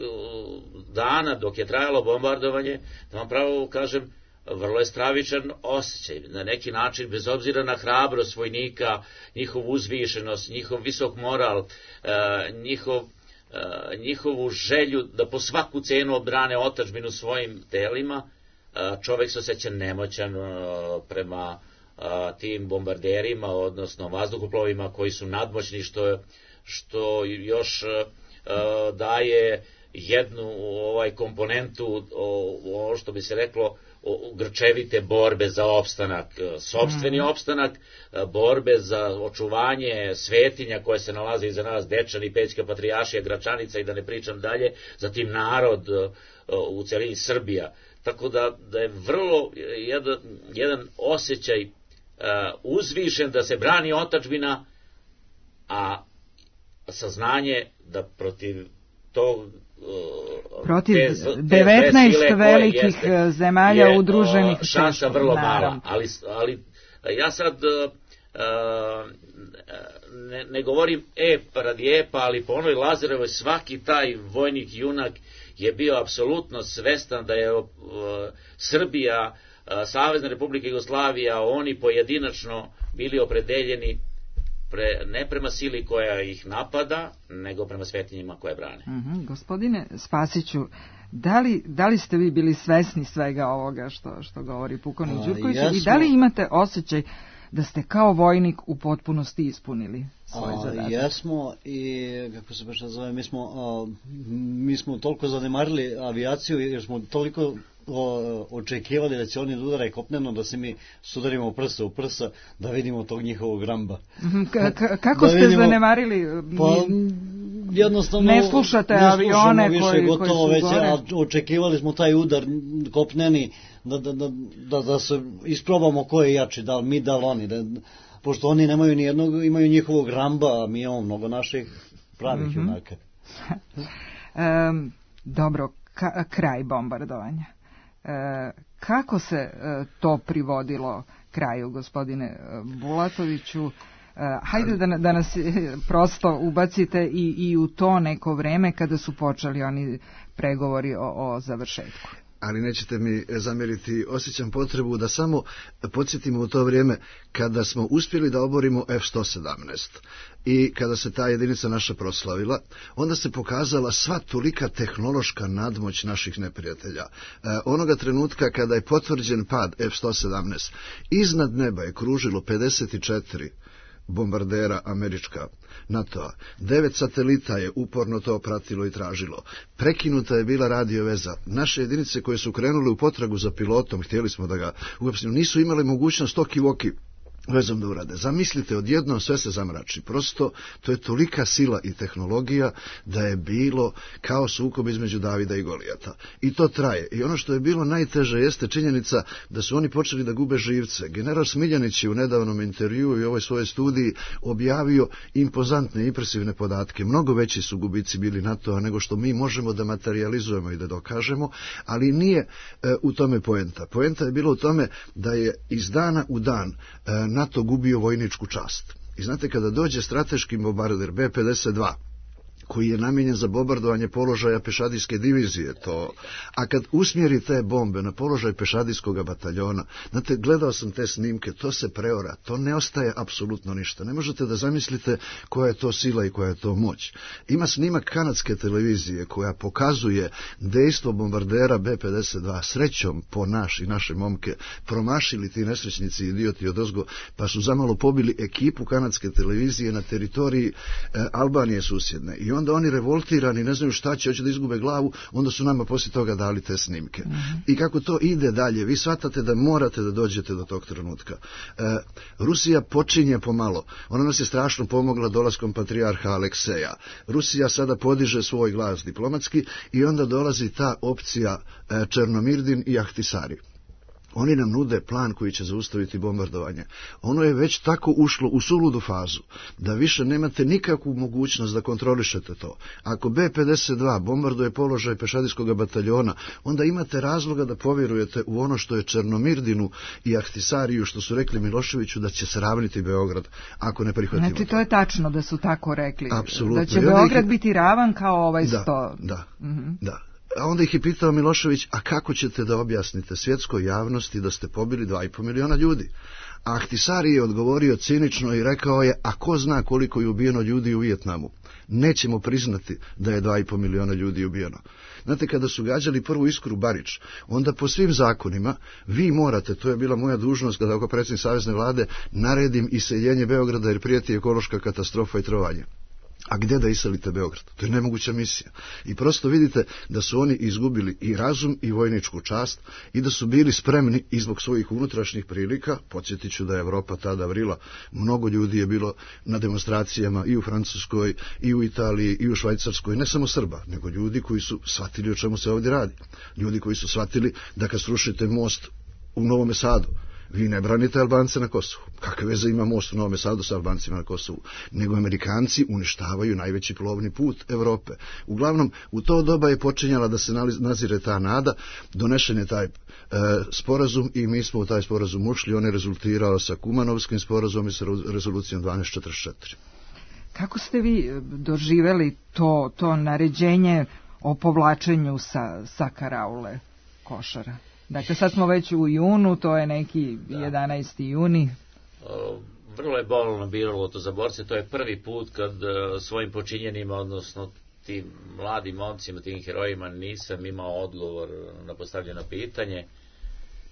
dana dok je trajalo bombardovanje, da vam pravo kažem, vrlo je stravičan osjećaj. Na neki način, bez obzira na hrabrost vojnika, njihov uzvišenost, njihov visok moral, njihov, njihovu želju da po svaku cenu obrane otadžbinu svojim telima, čovjek se osjeća nemoćan prema tim bombarderima, odnosno vazduhoplovima koji su nadmoćni, što je što još uh, daje jednu ovaj komponentu, ovo što bi se reklo, grčevite borbe za opstanak, sopstveni mm. opstanak, borbe za očuvanje svetinja koje se nalaze iza nas, Dečani, Pećka patrijaršija, Gračanica i da ne pričam dalje, zatim narod u celini Srbija. Tako da, da je vrlo jedan, jedan osjećaj uh, uzvišen da se brani otadžbina, a saznanje da protiv tog uh, protiv devetnaest velikih jeste, zemalja je, udruženih uh, šansa vrlo mala, ali, ali ja sad uh, uh, ne, ne govorim ep radi epa, ali po onoj Lazarevoj svaki taj vojnik junak je bio apsolutno svestan da je uh, Srbija, uh, Savezna Republika Jugoslavija, oni pojedinačno bili opredeljeni pre, ne prema sili koja ih napada, nego prema svetinjima koje brane. Mm-hmm. Gospodine Spasiću, da li, da li ste vi bili svesni svega ovoga što, što govori pukovnik Đurković i da li imate osjećaj da ste kao vojnik u potpunosti ispunili svoj zadatak? Jesmo i, kako se baš zove, mi smo, a, mi smo toliko zanemarili avijaciju jer smo toliko o, očekivali da će oni da udare kopneno, da se mi sudarimo prsa u prsa, da vidimo tog njihovog ramba. K- k- kako da ste vidimo, zanemarili? Pa, jednostavno ne slušate ne avione više, koji, gotovo, koji su već, gore? A očekivali smo taj udar kopneni, da, da, da, da, da se isprobamo ko je jači, da li mi, da li oni, da, pošto oni nemaju ni jednog, imaju njihovog ramba, a mi imamo mnogo naših pravih mm-hmm. junaka. um, dobro, ka, kraj bombardovanja. E, kako se e, to privodilo kraju, gospodine Bulatoviću? E, hajde da, da nas prosto ubacite i, i u to neko vreme kada su počeli oni pregovori o, o završetku. Ali nećete mi zamjeriti, osjećam potrebu da samo podsjetimo u to vrijeme kada smo uspjeli da oborimo F sto sedamnaest i kada se ta jedinica naša proslavila, onda se pokazala sva tolika tehnološka nadmoć naših neprijatelja. E, onoga trenutka kada je potvrđen pad F sto sedamnaest, iznad neba je kružilo pedeset četiri bombardera američka NATO-a. Devet satelita je uporno to pratilo i tražilo. Prekinuta je bila radio veza. Naše jedinice koje su krenule u potragu za pilotom, htjeli smo da ga uopšteno, nisu imali mogućnost oki-voki vezom da urade. Zamislite, odjednom sve se zamrači. Prosto, to je tolika sila i tehnologija da je bilo kao sukob između Davida i Golijata. I to traje. I ono što je bilo najteže jeste činjenica da su oni počeli da gube živce. General Smiljanić je u nedavnom intervjuu i ovoj svojoj studiji objavio impozantne, impresivne podatke. Mnogo veći su gubici bili NATO-a nego što mi možemo da materializujemo i da dokažemo, ali nije e, u tome poenta. Poenta je bilo u tome da je iz dana u dan e, NATO gubio vojničku čast. I znate, kada dođe strateški bombarder B pedeset dva, koji je namijenjen za bombardovanje položaja pešadijske divizije, to, a kad usmjeri te bombe na položaj pešadijskog bataljona, znate, gledao sam te snimke, to se preora, to ne ostaje apsolutno ništa. Ne možete da zamislite koja je to sila i koja je to moć. Ima snimak kanadske televizije koja pokazuje dejstvo bombardera B pedeset dva, srećom po naš i naše momke, promašili ti nesrećnici idioti odozgo, pa su zamalo pobili ekipu kanadske televizije na teritoriji e, Albanije susjedne. I onda oni revoltirani, ne znaju šta će, hoće da izgube glavu, onda su nama poslije toga dali te snimke. Mm-hmm. I kako to ide dalje, vi shvatate da morate da dođete do tog trenutka. E, Rusija počinje pomalo. Ona nas je strašno pomogla dolaskom patrijarha Alekseja. Rusija sada podiže svoj glas diplomatski i onda dolazi ta opcija e, Černomirdin i Ahtisari. Oni nam nude plan koji će zaustaviti bombardovanje. Ono je već tako ušlo u suludu fazu, da više nemate nikakvu mogućnost da kontrolišete to. Ako B pedeset dva bombarduje položaj pešadijskog bataljona, onda imate razloga da povjerujete u ono što je Černomirdinu i Ahtisariju, što su rekli Miloševiću da će sravniti Beograd, ako ne prihvatimo. Znači, to je tačno da su tako rekli. Apsolutno. Da će Beograd ih... biti ravan kao ovaj da, sto. Da, mm-hmm. da. A onda ih je pitao Milošević, a kako ćete da objasnite svjetskoj javnosti da ste pobili dva i po miliona ljudi? A Ahtisari je odgovorio cinično i rekao je, a ko zna koliko je ubijeno ljudi u Vijetnamu? Nećemo priznati da je dva i po miliona ljudi ubijeno. Znate, kada su gađali prvu Iskru Barič, onda po svim zakonima vi morate, to je bila moja dužnost kada oko predsjednik Savezne vlade, naredim iseljenje Beograda jer prijeti ekološka katastrofa i trovanje. A gdje da iselite Beograd? To je nemoguća misija. I prosto vidite da su oni izgubili i razum i vojničku čast i da su bili spremni i zbog svojih unutrašnjih prilika. Podsjetit ću da je Evropa tada vrila. Mnogo ljudi je bilo na demonstracijama i u Francuskoj, i u Italiji, i u Švajcarskoj. Ne samo Srba, nego ljudi koji su shvatili o čemu se ovdje radi. Ljudi koji su shvatili da kad srušite most u Novom Sadu, vi ne branite Albance na Kosovu. Kakve veze ima most u Novom Sadu sa Albancima na Kosovu? Nego Amerikanci uništavaju najveći plovni put Evrope. Uglavnom, u to doba je počinjala da se nazire ta nada, donešen je taj e, sporazum i mi smo u taj sporazum ušli. On je rezultirao sa Kumanovskim sporazumom i sa rezolucijom dvanaest četrdeset četiri. Kako ste vi doživjeli to, to naređenje o povlačenju sa, sa karaule Košara? Dakle, sad smo već u junu, to je neki jedanaesti juni. Vrlo je bolno bilo to za borce, to je prvi put kad svojim počinjenima, odnosno tim mladim momcima, tim herojima, nisam imao odgovor na postavljeno pitanje.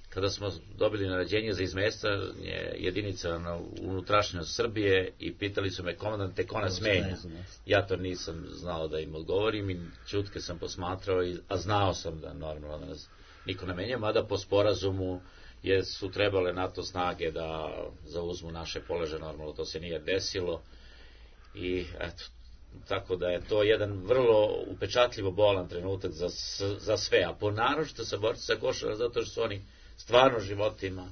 Kada smo dobili naređenje za izmestanje jedinica na unutrašnjost Srbije i pitali su me, komandante, ko nas menja? Ja to nisam znao da im odgovorim i čutke sam posmatrao, a znao sam da normalno da nas niko ne menja, mada po sporazumu je su trebale NATO snage da zauzmu naše položaje, normalno to se nije desilo i eto, tako da je to jedan vrlo upečatljivo bolan trenutak za, za sve, a ponaročito sa borci sa Košara, zato što su oni stvarno životima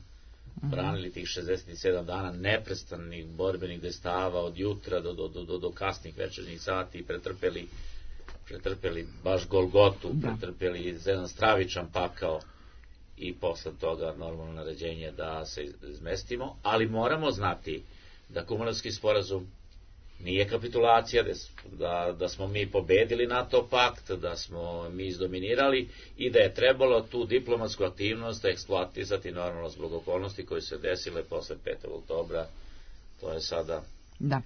branili tih šezdeset sedam dana neprestanih borbenih dejstava od jutra do, do, do, do kasnih večernjih sati i pretrpeli, pretrpeli baš Golgotu, da. pretrpeli jedan stravičan pakao i posle toga normalno naređenje da se izmestimo, ali moramo znati da Kumanovski sporazum nije kapitulacija, da, da smo mi pobedili NATO pakt, da smo mi izdominirali i da je trebalo tu diplomatsku aktivnost eksploatisati normalno zbog okolnosti koje se desile posle petog oktobra. To je sada... Da.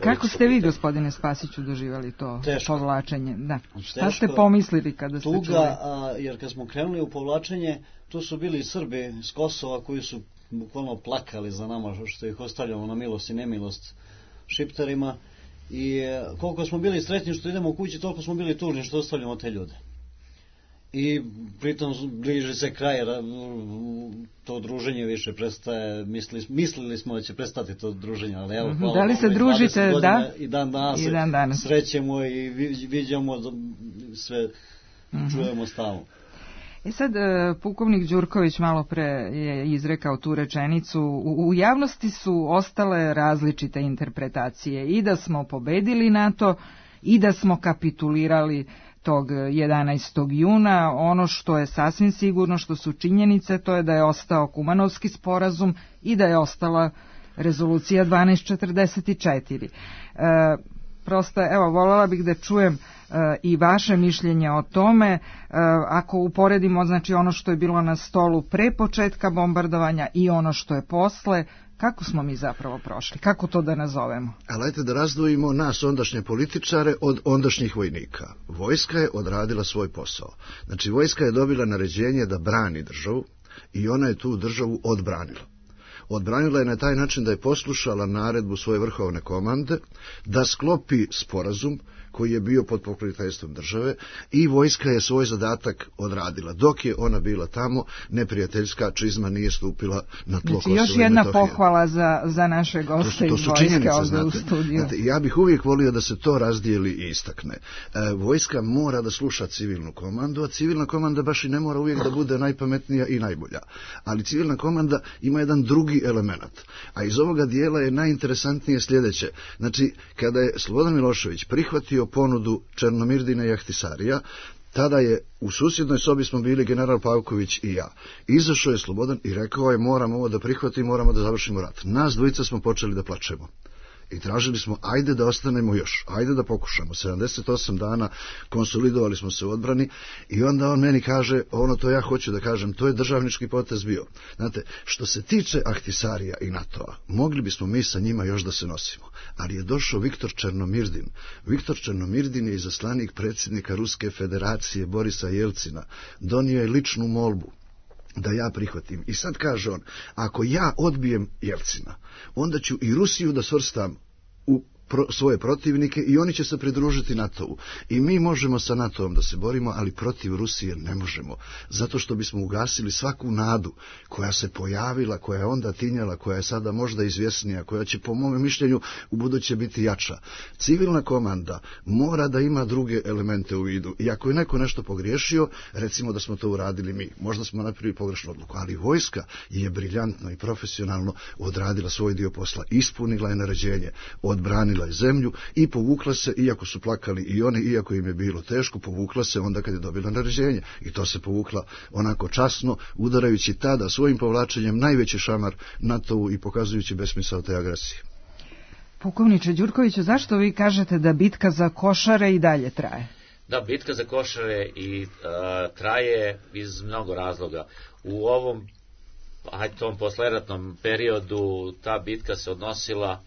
Kako ste vi, gospodine Spasiću, doživali to teško. povlačenje? Da. Šta ste pomislili kada ste tuga, čuli? A, jer kad smo krenuli u povlačenje, tu su bili Srbi s Kosova koji su bukvalno plakali za nama što ih ostavljamo na milost i nemilost Šiptarima i koliko smo bili sretni što idemo u kući, toliko smo bili tužni što ostavljamo te ljude. I pritom bliži se kraj, to druženje više prestaje, mislili, mislili smo da će prestati to druženje, ali evo, hvala da li se družite, da? I dan danas, I dan danas. srećemo i viđamo sve, mm-hmm. čujemo stalno. E sad, pukovnik Đurković malo pre je izrekao tu rečenicu, u, u javnosti su ostale različite interpretacije i da smo pobedili NATO i da smo kapitulirali tog jedanaestog juna. Ono što je sasvim sigurno, što su činjenice, to je da je ostao Kumanovski sporazum i da je ostala rezolucija dvanaest četrdeset četiri. E, prosto, evo, voljela bih da čujem i vaše mišljenje o tome, ako uporedimo znači ono što je bilo na stolu pre početka bombardovanja i ono što je posle, kako smo mi zapravo prošli, kako to da nazovemo? Ali ajte da razdvojimo nas ondašnje političare od ondašnjih vojnika. Vojska je odradila svoj posao. Znači vojska je dobila naređenje da brani državu i ona je tu državu odbranila. Odbranila je na taj način da je poslušala naredbu svoje vrhovne komande da sklopi sporazum koji je bio pod pokroviteljstvom države i vojska je svoj zadatak odradila. Dok je ona bila tamo, neprijateljska čizma nije stupila na tlo Kosova i Metohije. Još jedna pohvala za, za naše goste iz vojske ovdje u studiju. Znate, ja bih uvijek volio da se to razdijeli i istakne. E, vojska mora da sluša civilnu komandu, a civilna komanda baš i ne mora uvijek da bude najpametnija i najbolja. Ali civilna komanda ima jedan drugi element. A iz ovoga dijela je najinteresantnije sljedeće. Znači, kada je Slobodan Milošević prihvatio ponudu Černomirdina i Ahtisarija, tada je u susjednoj sobi smo bili general Pavković i ja. Izašao je Slobodan i rekao je moramo ovo da prihvatimo, moramo da završimo rat. Nas dvojica smo počeli da plačemo. I tražili smo, ajde da ostanemo još, ajde da pokušamo. sedamdeset osam dana konsolidovali smo se u odbrani i onda on meni kaže, ono to ja hoću da kažem, to je državnički potez bio. Znate, što se tiče Ahtisarija i NATO-a, mogli bismo mi sa njima još da se nosimo. Ali je došao Viktor Černomirdin. Viktor Černomirdin je izaslanik predsjednika Ruske federacije Borisa Jelcina. Donio je ličnu molbu da ja prihvatim. I sad kaže on, ako ja odbijem Jelcina, onda ću i Rusiju da svrstam u pro, svoje protivnike i oni će se pridružiti NATO-u. I mi možemo sa NATO-om da se borimo, ali protiv Rusije ne možemo. Zato što bismo ugasili svaku nadu koja se pojavila, koja je onda tinjala, koja je sada možda izvjesnija, koja će po mom mišljenju u buduće biti jača. Civilna komanda mora da ima druge elemente u vidu. I ako je neko nešto pogriješio, recimo da smo to uradili mi. Možda smo napravili pogrešnu odluku, ali vojska je briljantno i profesionalno odradila svoj dio posla. Ispunila je naređenje, odbranila je zemlju i povukla se, iako su plakali i oni, iako im je bilo teško, povukla se onda kad je dobila naređenje. I to se povukla onako časno, udarajući tada svojim povlačenjem najveći šamar NATO-u i pokazujući besmisao te agresije. Pukovniče Đurkoviću, zašto vi kažete da bitka za Košare i dalje traje? Da, bitka za Košare i a, traje iz mnogo razloga. U ovom, ajde, tom posleratnom periodu ta bitka se odnosila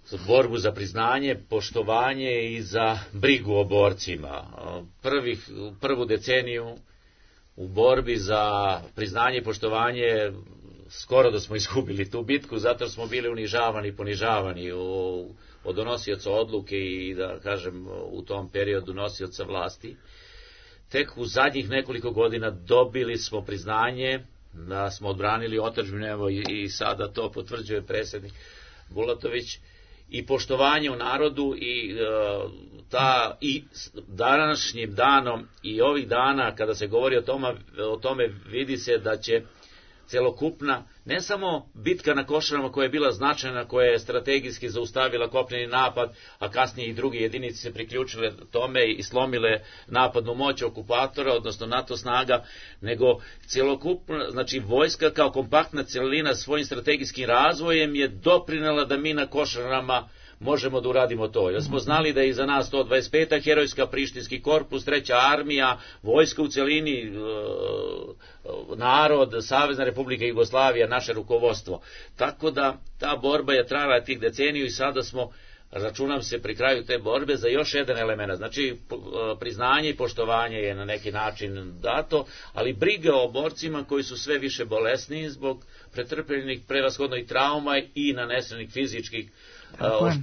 za borbu za priznanje, poštovanje i za brigu o borcima. Prvih, prvu deceniju u borbi za priznanje i poštovanje skoro da smo izgubili tu bitku, zato smo bili unižavani i ponižavani u, od donosioca odluke i, da kažem, u tom periodu nosioca vlasti. Tek u zadnjih nekoliko godina dobili smo priznanje da smo odbranili otadžbinu, evo i, i sada to potvrđuje predsjednik Bulatović, i poštovanje u narodu i, uh, ta, i današnjim danom i ovih dana kada se govori o tome, o tome vidi se da će celokupna, ne samo bitka na Košarama koja je bila značajna, koja je strategijski zaustavila kopneni napad, a kasnije i druge jedinice se priključile tome i slomile napadnu moć okupatora, odnosno NATO snaga, nego celokupna, znači vojska kao kompaktna celina svojim strategijskim razvojem je doprinela da mi na Košarama možemo da uradimo to. Jer smo znali da je iza nas sto dvadeset peta herojska Prištinski korpus, treća armija, vojska u celini, narod, Savezna Republika Jugoslavija, naše rukovodstvo. Tako da ta borba je trajala tih deceniju i sada smo, računam se, pri kraju te borbe za još jedan element. Znači, priznanje i poštovanje je na neki način dato, ali briga o borcima koji su sve više bolesniji zbog pretrpljenih prevashodno i trauma i nanesenih fizičkih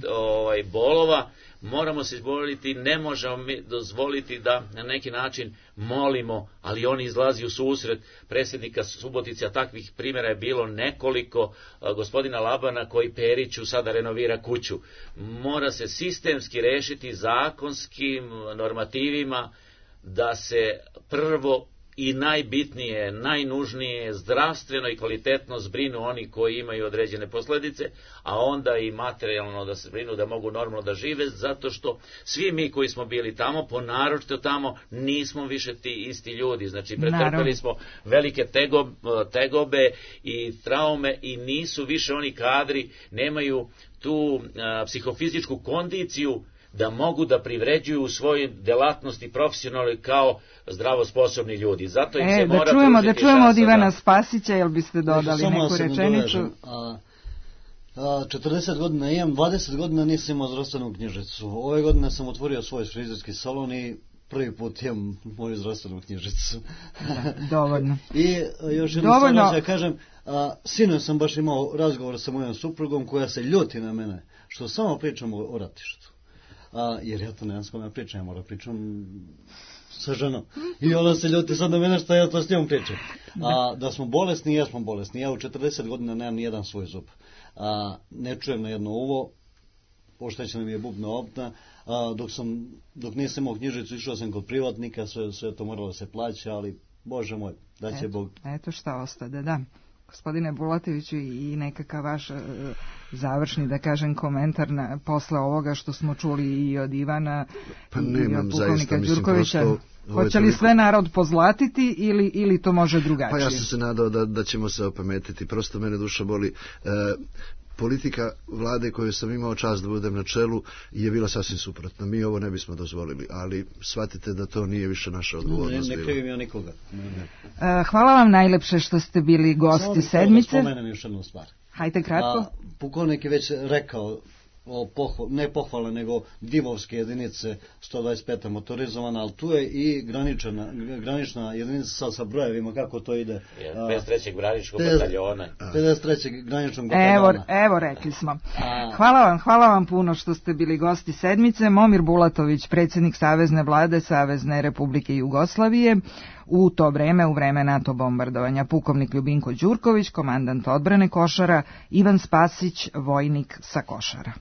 ovaj, bolova, moramo se izboriti, ne možemo mi dozvoliti da na neki način molimo, ali oni izlazi u susret predsjednika Subotice, a takvih primjera je bilo nekoliko, gospodina Labana koji Periću sada renovira kuću. Mora se sistemski rešiti zakonskim normativima da se prvo i najbitnije, najnužnije, zdravstveno i kvalitetno zbrinu oni koji imaju određene posljedice, a onda i materijalno da se zbrinu, da mogu normalno da žive, zato što svi mi koji smo bili tamo, ponaročito tamo, nismo više ti isti ljudi. Znači, pretrpeli smo velike tegobe, tegobe i traume i nisu više oni kadri, nemaju tu a, psihofizičku kondiciju da mogu da privređuju u svojoj delatnosti profesionalno kao zdravo sposobni ljudi. Zato im e, se da mora čujemo, da čujemo od Ivana Spasića, jel biste dodali Samo neku rečenicu? A, a, četrdeset godina imam, dvadeset godina nisam imao zdravstvenu knjižicu. Ove godine sam otvorio svoj frizerski salon i prvi put imam moju zdravstvenu knjižicu. Da, dovoljno. I još jednu stvar da kažem, a, sinoć sam baš imao razgovor sa mojom suprugom koja se ljuti na mene, što samo pričamo o ratištu. A, jer ja to nemam s kome pričam, ja moram pričam sa ženom. I ona se ljuti sad na mene što ja to s njom pričam. A, da smo bolesni, ja smo bolesni. Ja u četrdeset godina nemam ni jedan svoj zub. A, ne čujem na jedno uvo, oštećena mi je bubna opna. A, dok, sam, dok nisam imao knjižicu, išao sam kod privatnika, sve, sve to moralo se plaća, ali Bože moj, da će eto, Bog. Eto šta ostade, da. Gospodine Bulatoviću, i nekakav vaš uh, završni, da kažem, komentar na, posle ovoga što smo čuli i od Ivana pa i nemam, od pukovnika zaista, Đurkovića. Mislim, hoće li sve narod pozlatiti ili, ili to može drugačije? Pa ja sam se nadao da, da ćemo se opametiti. Prosto mene duša boli. E, politika vlade koju sam imao čast da budem na čelu je bila sasvim suprotna. Mi ovo ne bismo dozvolili, ali shvatite da to nije više naša odgovornost. Ne, ne krivim ja nikoga. Ne, ne. Uh, hvala vam najlepše što ste bili gosti sedmice. Samo da spomenem još jednu stvar. Hajde kratko. A, pukovnik je već rekao o pohval, ne pohvale, nego divovske jedinice sto dvadeset peta motorizovana, ali tu je i granična, granična jedinica sa, sa brojevima, kako to ide. pedeset trećeg graničkog bataljona. pedeset trećeg graničnog bataljona. Evo, evo rekli smo. Hvala vam, hvala vam puno što ste bili gosti sedmice. Momir Bulatović, predsjednik Savezne vlade Savezne Republike Jugoslavije, u to vreme, u vreme NATO bombardovanja, pukovnik Ljubinko Đurković, komandant odbrane Košara, Ivan Spasić, vojnik sa Košara.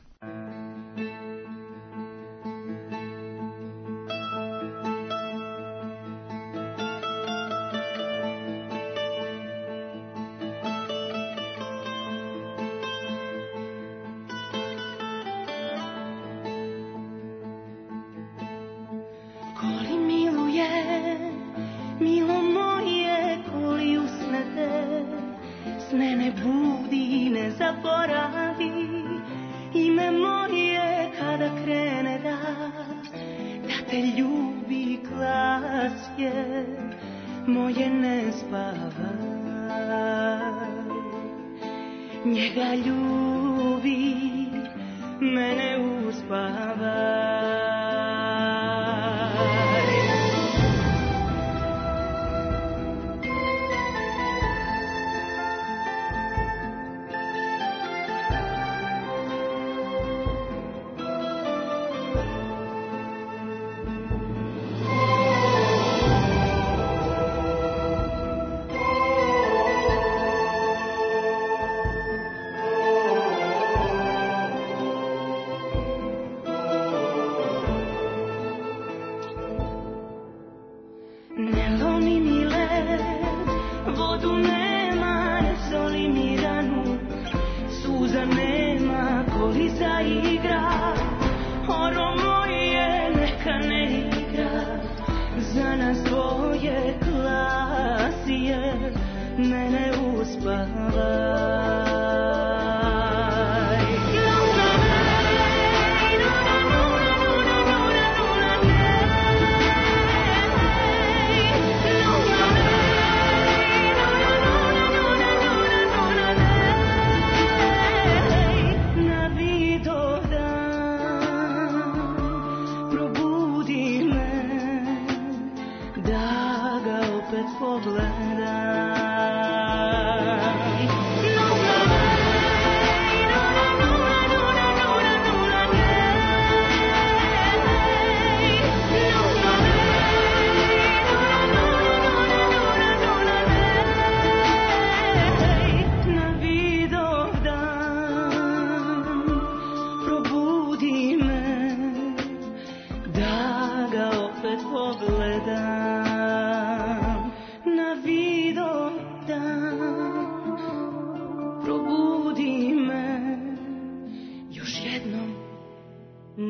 Ime moje kada krene da, da te ljubi glas je moje ne spavaj. Njega ljubi, mene uspavaj.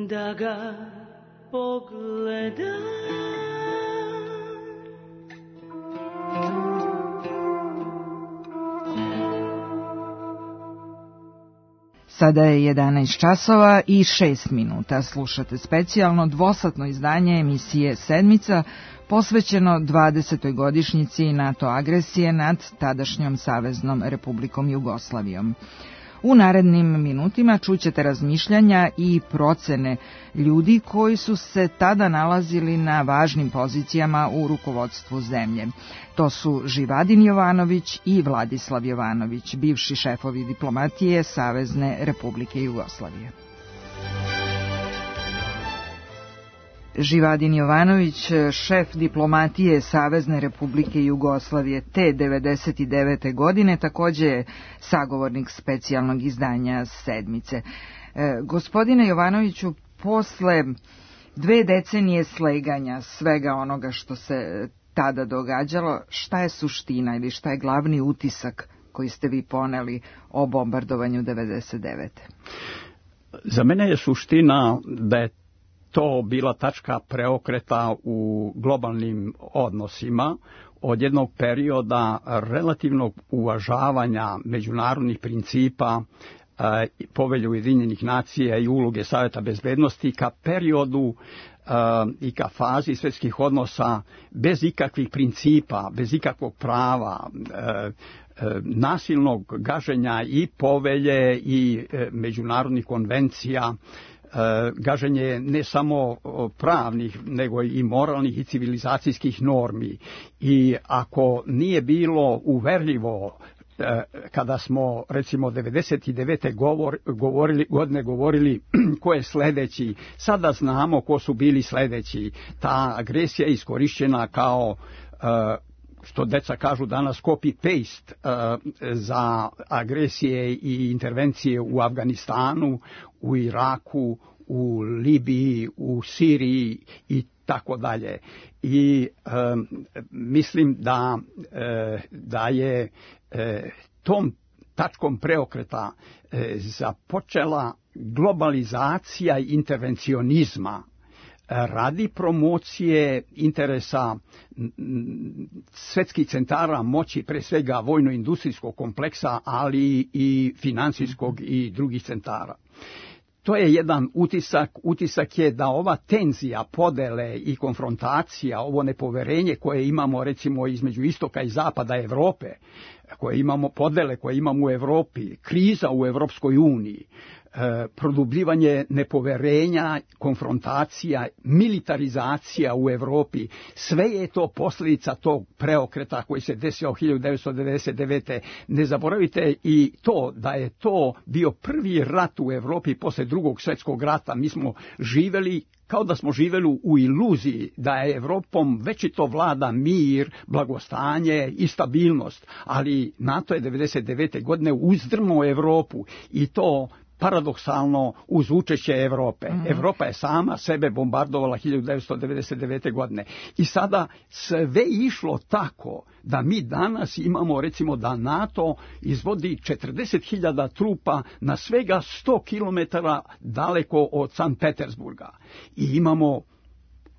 Da ga pogledam. Sada je jedanaest časova i šest minuta. Slušate specijalno dvosatno izdanje emisije Sedmica posvećeno dvadesetoj godišnjici NATO agresije nad tadašnjom Saveznom Republikom Jugoslavijom. U narednim minutima čućete razmišljanja i procene ljudi koji su se tada nalazili na važnim pozicijama u rukovodstvu zemlje. To su Živadin Jovanović i Vladislav Jovanović, bivši šefovi diplomatije Savezne Republike Jugoslavije. Živadin Jovanović, šef diplomatije Savezne Republike Jugoslavije te devedeset devete. godine, takođe je sagovornik specijalnog izdanja Sedmice. E, gospodine Jovanoviću, posle dve decenije sleganja svega onoga što se tada događalo, šta je suština ili šta je glavni utisak koji ste vi poneli o bombardovanju devedeset devete. Za mene je suština da je to bila tačka preokreta u globalnim odnosima od jednog perioda relativnog uvažavanja međunarodnih principa, Povelje Ujedinjenih nacija i uloge Saveta bezbednosti ka periodu i ka fazi svjetskih odnosa bez ikakvih principa, bez ikakvog prava, nasilnog gaženja i povelje i međunarodnih konvencija, gaženje ne samo pravnih, nego i moralnih i civilizacijskih normi. I ako nije bilo uverljivo kada smo recimo devedeset devete. Govor, govorili, godine govorili ko je sledeći, sada znamo ko su bili sledeći. Ta agresija je iskorišćena kao, što deca kažu danas, copy-paste za agresije i intervencije u Afganistanu, u Iraku, u Libiji, u Siriji i tako dalje. I e, mislim da, e, da je e, tom tačkom preokreta e, započela globalizacija intervencionizma radi promocije interesa svetskih centara moći, pre svega vojno-industrijskog kompleksa, ali i finansijskog i drugih centara. to je jedan utisak. Utisak je da ova tenzija, podele i konfrontacija, ovo nepoverenje koje imamo recimo između istoka i zapada Evrope, koje imamo podele koje imamo u Evropi, kriza u Evropskoj uniji, produbljivanje nepoverenja, konfrontacija, militarizacija u Evropi, sve je to posljedica tog preokreta koji se desio hiljadu devetsto devedeset devete. Ne zaboravite i to da je to bio prvi rat u Evropi posle drugog svjetskog rata. Mi smo živjeli kao da smo živjeli u iluziji da je Evropom večito vlada mir, blagostanje i stabilnost, ali NATO je devedeset devete godine uzdrmao Evropu i to paradoksalno uz učešće Evrope. Mm-hmm. Evropa je sama sebe bombardovala hiljadu devetsto devedeset devete godine. I sada sve išlo tako da mi danas imamo recimo da NATO izvodi četrdeset hiljada trupa na svega sto kilometara daleko od Sankt Petersburga. I imamo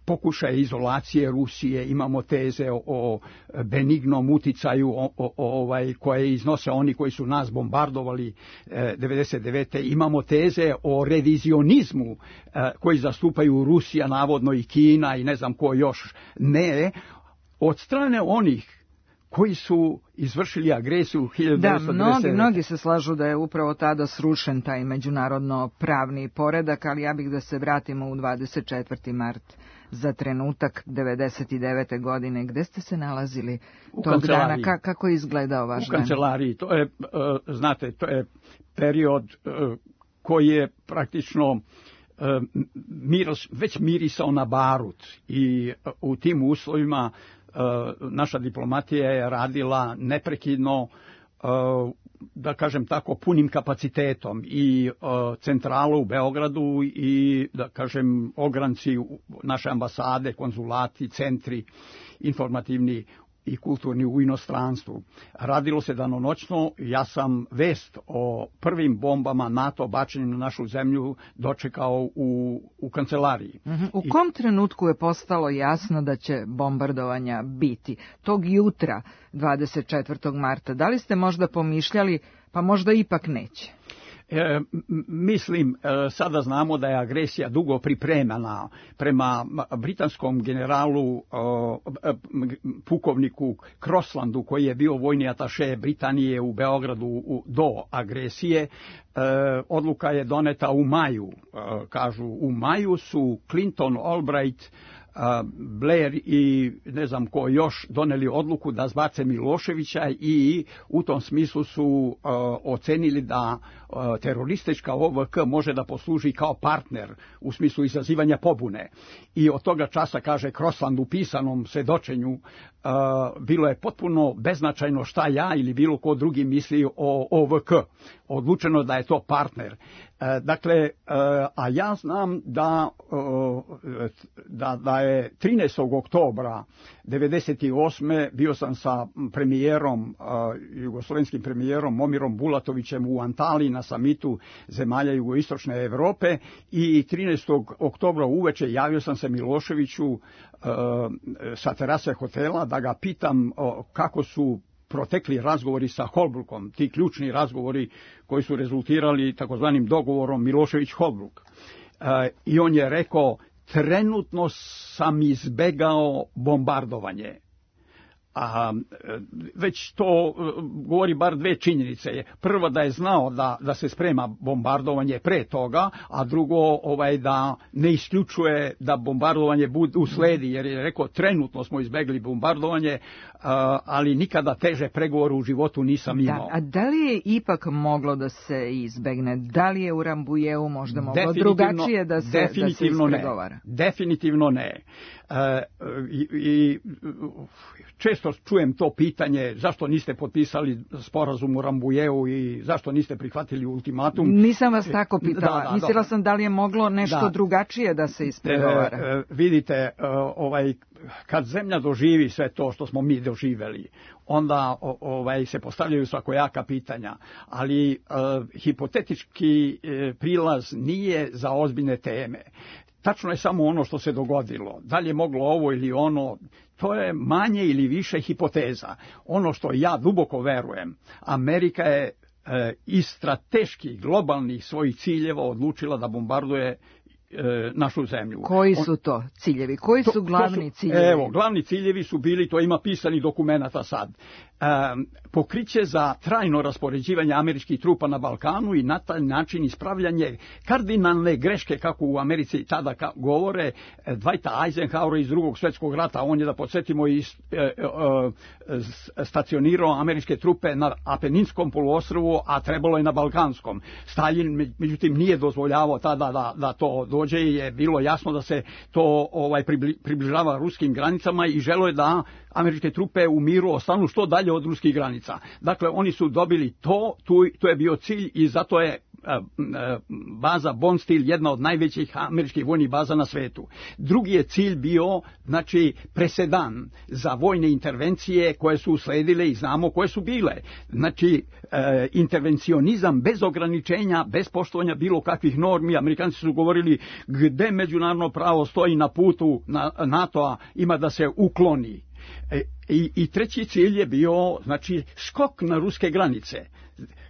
pokušaje izolacije Rusije, imamo teze o, o benignom uticaju o, o, ovaj, koje iznose oni koji su nas bombardovali e, devedeset devete. Imamo teze o revizionizmu e, koji zastupaju Rusija, navodno i Kina i ne znam ko još ne, od strane onih koji su izvršili agresiju hiljadu devetsto devedeset devete. Da, mnogi, mnogi se slažu da je upravo tada srušen taj međunarodno pravni poredak, ali ja bih da se vratimo u dvadeset četvrti mart za trenutak devedeset devete godine. Gde ste se nalazili u tog dana? Ka, kako je izgledao vaš dan? U kancelariji. To je, znate, to je period koji je praktično miros, već mirisao na barut i u tim uslovima naša diplomatija je radila neprekidno, da kažem tako, punim kapacitetom i centrala u Beogradu i, da kažem, ogranci naše ambasade, konzulati, centri informativni i kulturni u inostranstvu. Radilo se danonoćno. Ja sam vest o prvim bombama NATO bačenim na našu zemlju dočekao u, u kancelariji. Uh-huh. U kom I... trenutku je postalo jasno da će bombardovanja biti? Tog jutra, dvadeset četvrtog marta, da li ste možda pomišljali, pa možda ipak neće? E, mislim, e, sada znamo da je agresija dugo pripremana. Prema britanskom generalu, e, pukovniku Croslandu, koji je bio vojni ataše Britanije u Beogradu u, do agresije, e, odluka je doneta u maju. E, kažu, u maju su Clinton, Albright, Blair i ne znam ko još doneli odluku da zbace Miloševića i u tom smislu su uh, ocenili da uh, teroristička O V K može da posluži kao partner u smislu izazivanja pobune. I od toga časa, kaže Crosland u pisanom svedočenju, uh, bilo je potpuno beznačajno šta ja ili bilo ko drugi misli o O V K. Odlučeno da je to partner. Dakle, a ja znam da, da, da je trinaestog oktobra devedeset osme bio sam sa premijerom, jugoslovenskim premijerom Momirom Bulatovićem u Antaliji na samitu zemalja jugoistočne Evrope i trinaestog oktobra uveče javio sam se Miloševiću sa terase hotela da ga pitam kako su protekli razgovori sa Holbrookom, ti ključni razgovori koji su rezultirali takozvanim dogovorom Milošević-Holbrook. E, I on je rekao, trenutno sam izbegao bombardovanje. A već to govori bar dve činjenice. Prvo da je znao da, da se sprema bombardovanje pre toga, a drugo ovaj, da ne isključuje da bombardovanje bude usledi, jer je rekao trenutno smo izbegli bombardovanje, ali nikada teže pregovore u životu nisam imao. Da, a da li je ipak moglo da se izbegne? Da li je u Rambujeu možda moglo drugačije da se, da se ispregovara? Ne. Definitivno ne. E, i, i često čujem to pitanje zašto niste potpisali sporazum u Rambujeu i zašto niste prihvatili ultimatum. Nisam vas tako pitala. Da, da, Mislila sam da li je moglo nešto da. drugačije da se ispregovara. E, e, vidite, ovaj, kad zemlja doživi sve to što smo mi doživeli, onda ovaj, se postavljaju svakojaka pitanja, ali e, hipotetički e, prilaz nije za ozbiljne teme. Tačno je samo ono što se dogodilo. Da li je moglo ovo ili ono, to je manje ili više hipoteza. Ono što ja duboko verujem, Amerika je e, iz strateških, globalnih svojih ciljeva odlučila da bombarduje našu zemlju. Koji su to ciljevi? Koji su glavni ciljevi? Evo, glavni ciljevi su bili, to ima pisanih dokumenata sad, e, pokriće za trajno raspoređivanje američkih trupa na Balkanu i na taj način ispravljanje kardinalne greške, kako u Americi tada ka, govore, Dwighta Eisenhowera iz drugog svjetskog rata. On je, da podsjetimo, i e, e, e, stacionirao američke trupe na Apeninskom poluostrvu, a trebalo je na Balkanskom. Stalin, međutim, nije dozvoljavao tada da, da to dođe, je bilo jasno da se to ovaj približava ruskim granicama i želo je da američke trupe u miru ostanu što dalje od ruskih granica. Dakle, oni su dobili to, tu, to je bio cilj i zato je baza Bondsteel jedna od najvećih američkih vojnih baza na svetu. Drugi je cilj bio, znači, presedan za vojne intervencije koje su usledile i znamo koje su bile. Znači, e, intervencionizam bez ograničenja, bez poštovanja bilo kakvih normi. Amerikanci su govorili gde međunarodno pravo stoji na putu na NATO-a, ima da se ukloni. E, i, I treći cilj je bio, znači, skok na ruske granice.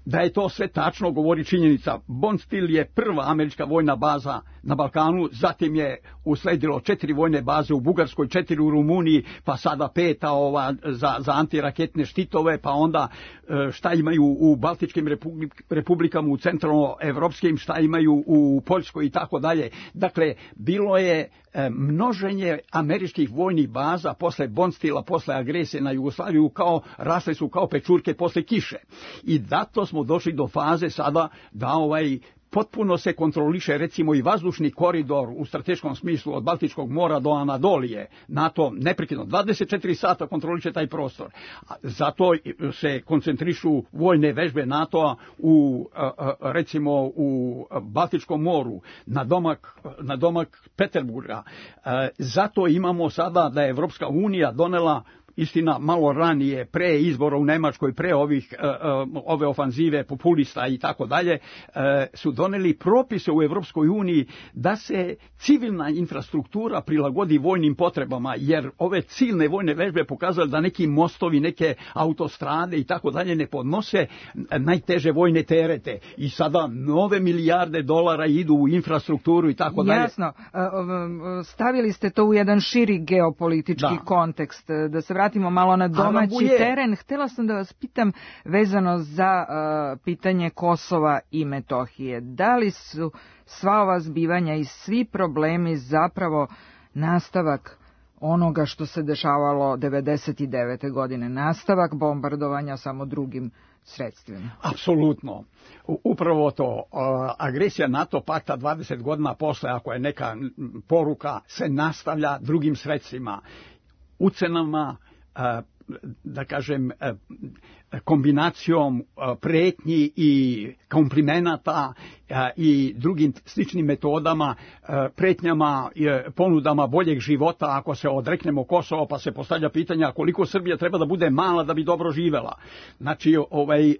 Da je to sve tačno govori činjenica. Bondsteel je prva američka vojna baza na Balkanu, zatim je usledilo četiri vojne baze u Bugarskoj, četiri u Rumuniji, pa sada peta ova za, za antiraketne štitove, pa onda šta imaju u Baltičkim republik, republikama, u centralnoevropskim, šta imaju u Poljskoj i tako dalje. Dakle, bilo je množenje američkih vojnih baza posle Bondsteela, posle agresije na Jugoslaviju, kao rasle su kao pečurke posle kiše. I zato smo došli do faze sada da ovaj potpuno se kontroliše, recimo, i vazdušni koridor u strateškom smislu od Baltičkog mora do Anadolije. NATO neprekidno dvadeset četiri sata kontroliše taj prostor. Zato se koncentrišu vojne vežbe NATO-a u, recimo, u Baltičkom moru, na domak, na domak Peterburga. Zato imamo sada da je Evropska unija donela, istina malo ranije, pre izbora u Nemačkoj, pre ovih uh, ove ofanzive populista i tako dalje, su doneli propise u Evropskoj uniji da se civilna infrastruktura prilagodi vojnim potrebama, jer ove ciljne vojne vežbe pokazale da neki mostovi, neke autostrade i tako dalje ne podnose najteže vojne terete i sada nove milijarde dolara idu u infrastrukturu i tako dalje. Jasno, stavili ste to u jedan širi geopolitički da. kontekst, da se vratimo malo na domaći teren. Htela sam da vas pitam vezano za uh, pitanje Kosova i Metohije. Da li su sva ova zbivanja i svi problemi zapravo nastavak onoga što se dešavalo devedeset devete godine, nastavak bombardovanja samo drugim sredstvima? Apsolutno. Upravo to. Agresija NATO pakta dvadeset godina posle, ako je neka poruka, se nastavlja drugim sredstvima, ucenama, da kažem, kombinacijom pretnji i komplimenata i drugim sličnim metodama, pretnjama, ponudama boljeg života ako se odreknemo Kosova, pa se postavlja pitanja koliko Srbija treba da bude mala da bi dobro živela. Znači, ovaj,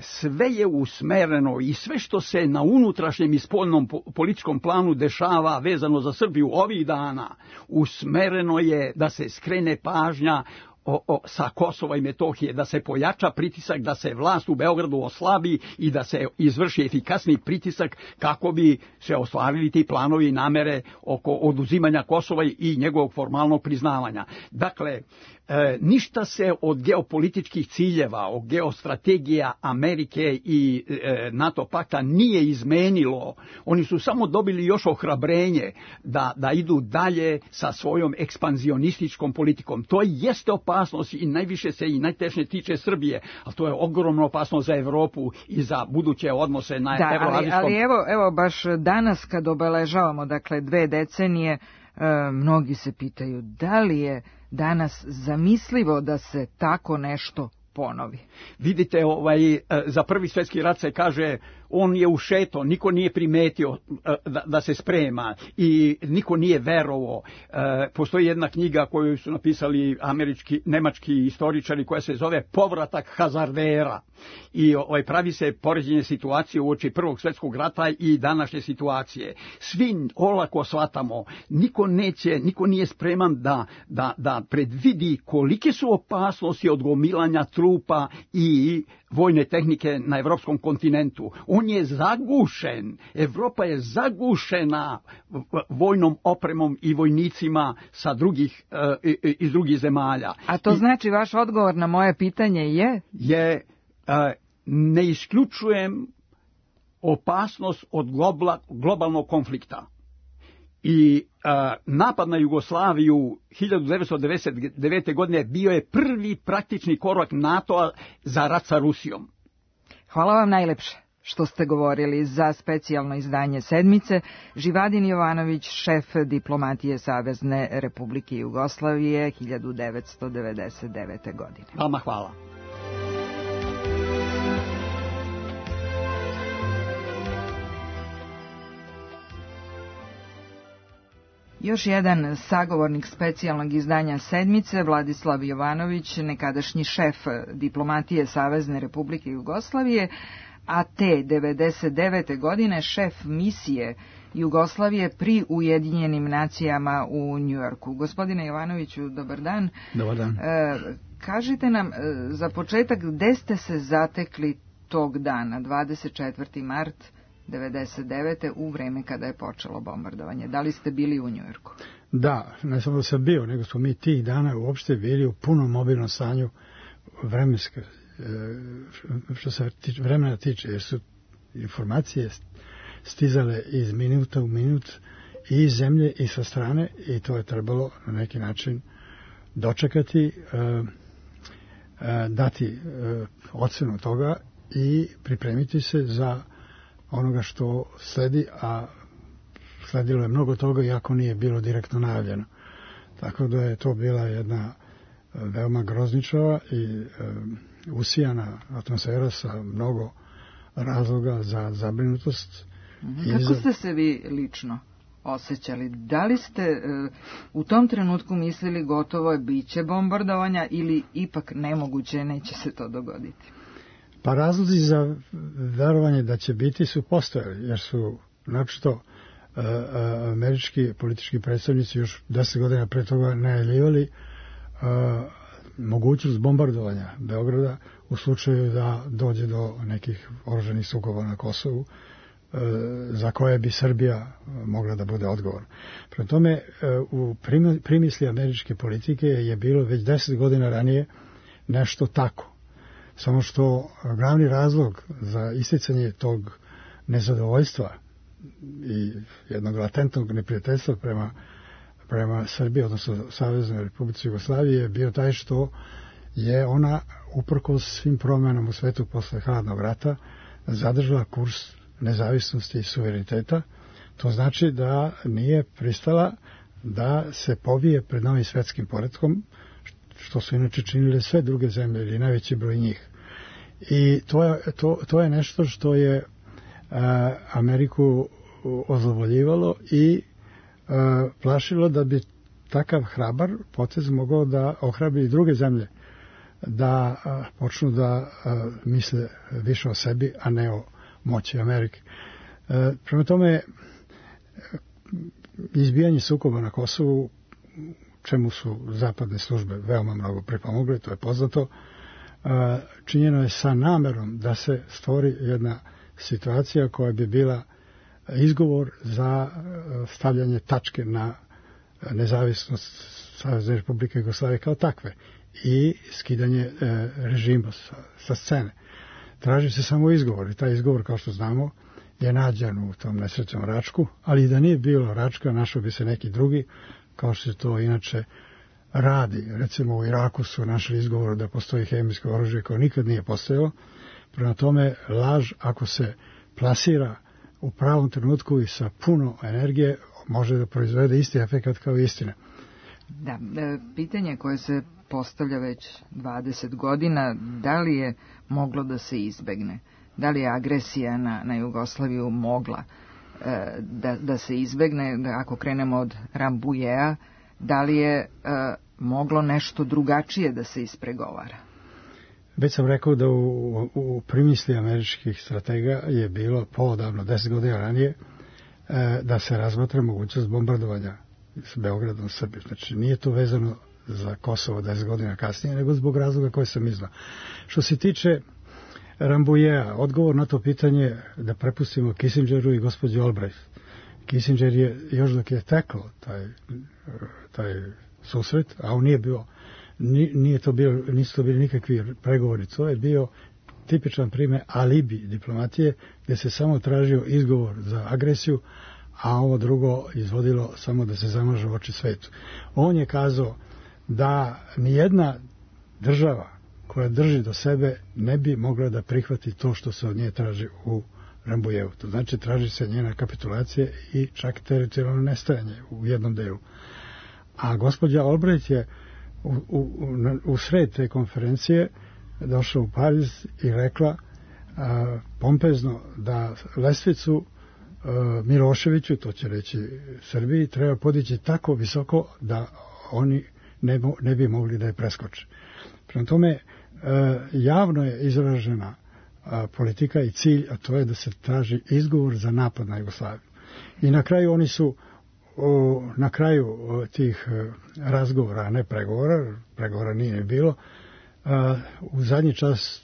sve je usmereno i sve što se na unutrašnjem i spoljnom političkom planu dešava vezano za Srbiju ovih dana, usmereno je da se skrene pažnja O, o, sa Kosova i Metohije, da se pojača pritisak, da se vlast u Beogradu oslabi i da se izvrši efikasni pritisak kako bi se ostvarili ti planovi i namere oko oduzimanja Kosova i njegovog formalnog priznavanja. Dakle, e, ništa se od geopolitičkih ciljeva, od geostrategija Amerike i e, NATO pakta nije izmenilo. Oni su samo dobili još ohrabrenje da, da idu dalje sa svojom ekspanzionističkom politikom. To jeste opasnost i najviše se i najtešnje tiče Srbije, a to je ogromno opasnost za Evropu i za buduće odnose na da, evroazijskom. Ali, ali evo, evo baš danas kad obeležavamo, dakle, dve decenije, e, mnogi se pitaju da li je danas zamislivo da se tako nešto ponovi. Vidite, ovaj, za prvi svjetski rat se kaže on je ušeto, niko nije primetio da, da se sprema i niko nije verovao. E, postoji jedna knjiga koju su napisali američki, nemački istoričari koja se zove Povratak hazardera i ovaj, pravi se poređenje situacije uoči prvog svjetskog rata i današnje situacije. Svi olako shvatamo, niko neće, niko nije spreman da, da, da predvidi kolike su opasnosti od gomilanja trupa trupa i vojne tehnike na evropskom kontinentu. On je zagušen. Evropa je zagušena vojnom opremom i vojnicima sa drugih, iz drugih zemalja. A to znači vaš odgovor na moje pitanje je? Je, ne isključujem opasnost od globalnog konflikta. I a, napad na Jugoslaviju hiljadu devetsto devedeset devete. godine bio je prvi praktični korak NATO-a za rat sa Rusijom. Hvala vam najlepše što ste govorili za specijalno izdanje Sedmice. Živadin Jovanović, šef diplomatije Savezne Republike Jugoslavije hiljadu devetsto devedeset devete. godine. Vama hvala. Još jedan sagovornik specijalnog izdanja Sedmice, Vladislav Jovanović, nekadašnji šef diplomatije Savezne Republike Jugoslavije, a te devedeset devete. godine šef misije Jugoslavije pri Ujedinjenim nacijama u Njujorku. Gospodine Jovanoviću, dobar dan. Dobar dan. E, kažite nam, za početak, gde ste se zatekli tog dana, dvadeset četvrti mart devedeset devete. u vreme kada je počelo bombardovanje? Da li ste bili u Njujorku? Da, ne samo da sam bio, nego smo mi tih dana uopšte bili u punom mobilnom stanju vremenske, što se vremena tiče, jer su informacije stizale iz minuta u minut i iz zemlje i sa strane, i to je trebalo na neki način dočekati, dati ocenu toga i pripremiti se za onoga što sledi, a sledilo je mnogo toga, iako nije bilo direktno najavljeno. Tako da je to bila jedna veoma grozničava i e, usijana atmosfera sa mnogo razloga za zabrinutost. Kako za... ste se vi lično osjećali? Da li ste e, u tom trenutku mislili gotovo je biće bombardovanja ili ipak nemoguće, neće se to dogoditi? Pa razlozi za verovanje da će biti su postojali, jer su naprosto e, američki politički predstavnici još deset godina pre toga najavljivali e, mogućnost bombardovanja Beograda u slučaju da dođe do nekih oružanih sukoba na Kosovu, e, za koje bi Srbija mogla da bude odgovorna. Prema tome, e, u primisli američke politike je bilo već deset godina ranije nešto tako. Samo što glavni razlog za isticanje tog nezadovoljstva i jednog latentnog neprijateljstva prema, prema Srbiji, odnosno Saveznoj Republici Jugoslavije, je bio taj što je ona, uprkos svim promjenama u svetu posle hladnog rata, zadržala kurs nezavisnosti i suvereniteta. To znači da nije pristala da se povije pred novim svetskim poretkom, što su inače činile sve druge zemlje ili najveći broj njih. I to je, to, to je nešto što je a, Ameriku ozlovoljivalo i a, plašilo da bi takav hrabar potez mogao da ohrabri i druge zemlje da a, počnu da a, misle više o sebi, a ne o moći Amerike. A, prema tome, izbijanje sukoba na Kosovu, čemu su zapadne službe veoma mnogo pripomogle, to je poznato, činjeno je sa namerom da se stvori jedna situacija koja bi bila izgovor za stavljanje tačke na nezavisnost Savezne Republike Jugoslavije kao takve i skidanje režima sa, sa scene. Traži se samo izgovor i taj izgovor, kao što znamo, je nađen u tom nesrećnom Račku, ali da nije bilo Račka, našao bi se neki drugi, kao što se to inače radi. Recimo u Iraku su našli izgovor da postoji hemijsko oružje koje nikad nije postojalo. Prema tome, laž, ako se plasira u pravom trenutku i sa puno energije, može da proizvede isti efekat kao istina. Da, pitanje koje se postavlja već dvadeset godina, da li je moglo da se izbegne? Da li je agresija na, na Jugoslaviju mogla da, da se izbegne? Ako krenemo od Rambujea, da li je uh, moglo nešto drugačije da se ispregovara? Već sam rekao da u, u primisli američkih stratega je bilo poodavno, deset godina ranije, uh, da se razmatra mogućnost bombardovanja s Beogradom Srbije. Znači, nije to vezano za Kosovo deset godina kasnije, nego zbog razloga koje sam iznao. Što se tiče Rambouilleta, odgovor na to pitanje da prepustimo Kissingeru i gospođi Albright. Kissinger je, još dok je teklo taj, taj susret, a on nije bio, nije to bio, nisu to bili nikakvi pregovori, to je bio tipičan primjer alibi diplomatije, gdje se samo tražio izgovor za agresiju, a ovo drugo izvodilo samo da se zamažu oči svetu. On je kazao da nijedna država koja drži do sebe ne bi mogla da prihvati to što se od nje traži u Rambouilletu. To znači traži se njena kapitulacija i čak teritorijalno nestajanje u jednom delu. A gospođa Albright je u, u, u sred te konferencije došla u Pariz i rekla a, pompezno da lestvicu a, Miloševiću, to će reći Srbiji, treba podići tako visoko da oni ne, ne bi mogli da je preskoče. Prema tome, a, javno je izražena a, politika i cilj, a to je da se traži izgovor za napad na Jugoslaviju. I na kraju oni su o, na kraju o, tih o, razgovora, a ne pregovora, pregovora nije bilo, a, u zadnji čas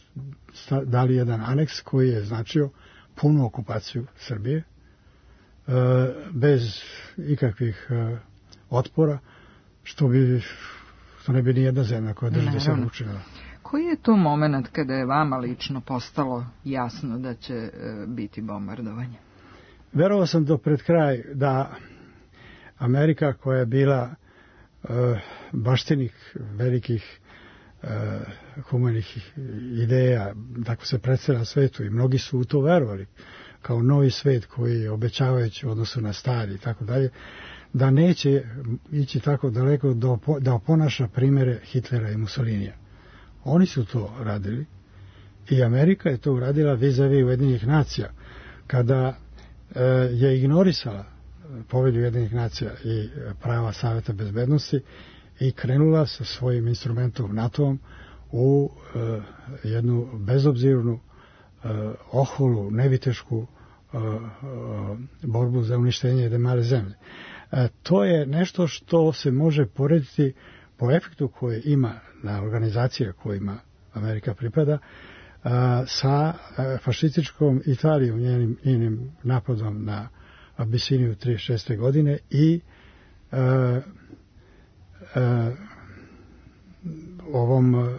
dali jedan aneks koji je značio punu okupaciju Srbije a, bez ikakvih a, otpora, što bi što ne bi ni jedna zemlja koja drži do sebe učinila. Koji je to moment kada je vama lično postalo jasno da će e, biti bombardovanje? Verovao sam do pred kraj da Amerika, koja je bila e, baštinik velikih e, humanih ideja, tako se predstavlja svetu i mnogi su u to verovali, kao novi svet koji je obećavajući u odnosu na stari i tako dalje, da neće ići tako daleko da oponaša primere Hitlera i Mussolinija. Oni su to radili i Amerika je to uradila vis-a-vis Ujedinjenih nacija, kada e, je ignorisala povelju Ujedinjenih nacija i prava Saveta bezbednosti i krenula sa svojim instrumentom NATO-om u e, jednu bezobzirnu, e, oholu, nevitešku e, e, borbu za uništenje jedne male zemlje. E, to je nešto što se može porediti po efektu koje ima na organizacije kojima Amerika pripada, a, sa a, fašističkom Italijom, njenim, njenim napadom na Abisiniju trideset šeste godine i a, a, ovom a,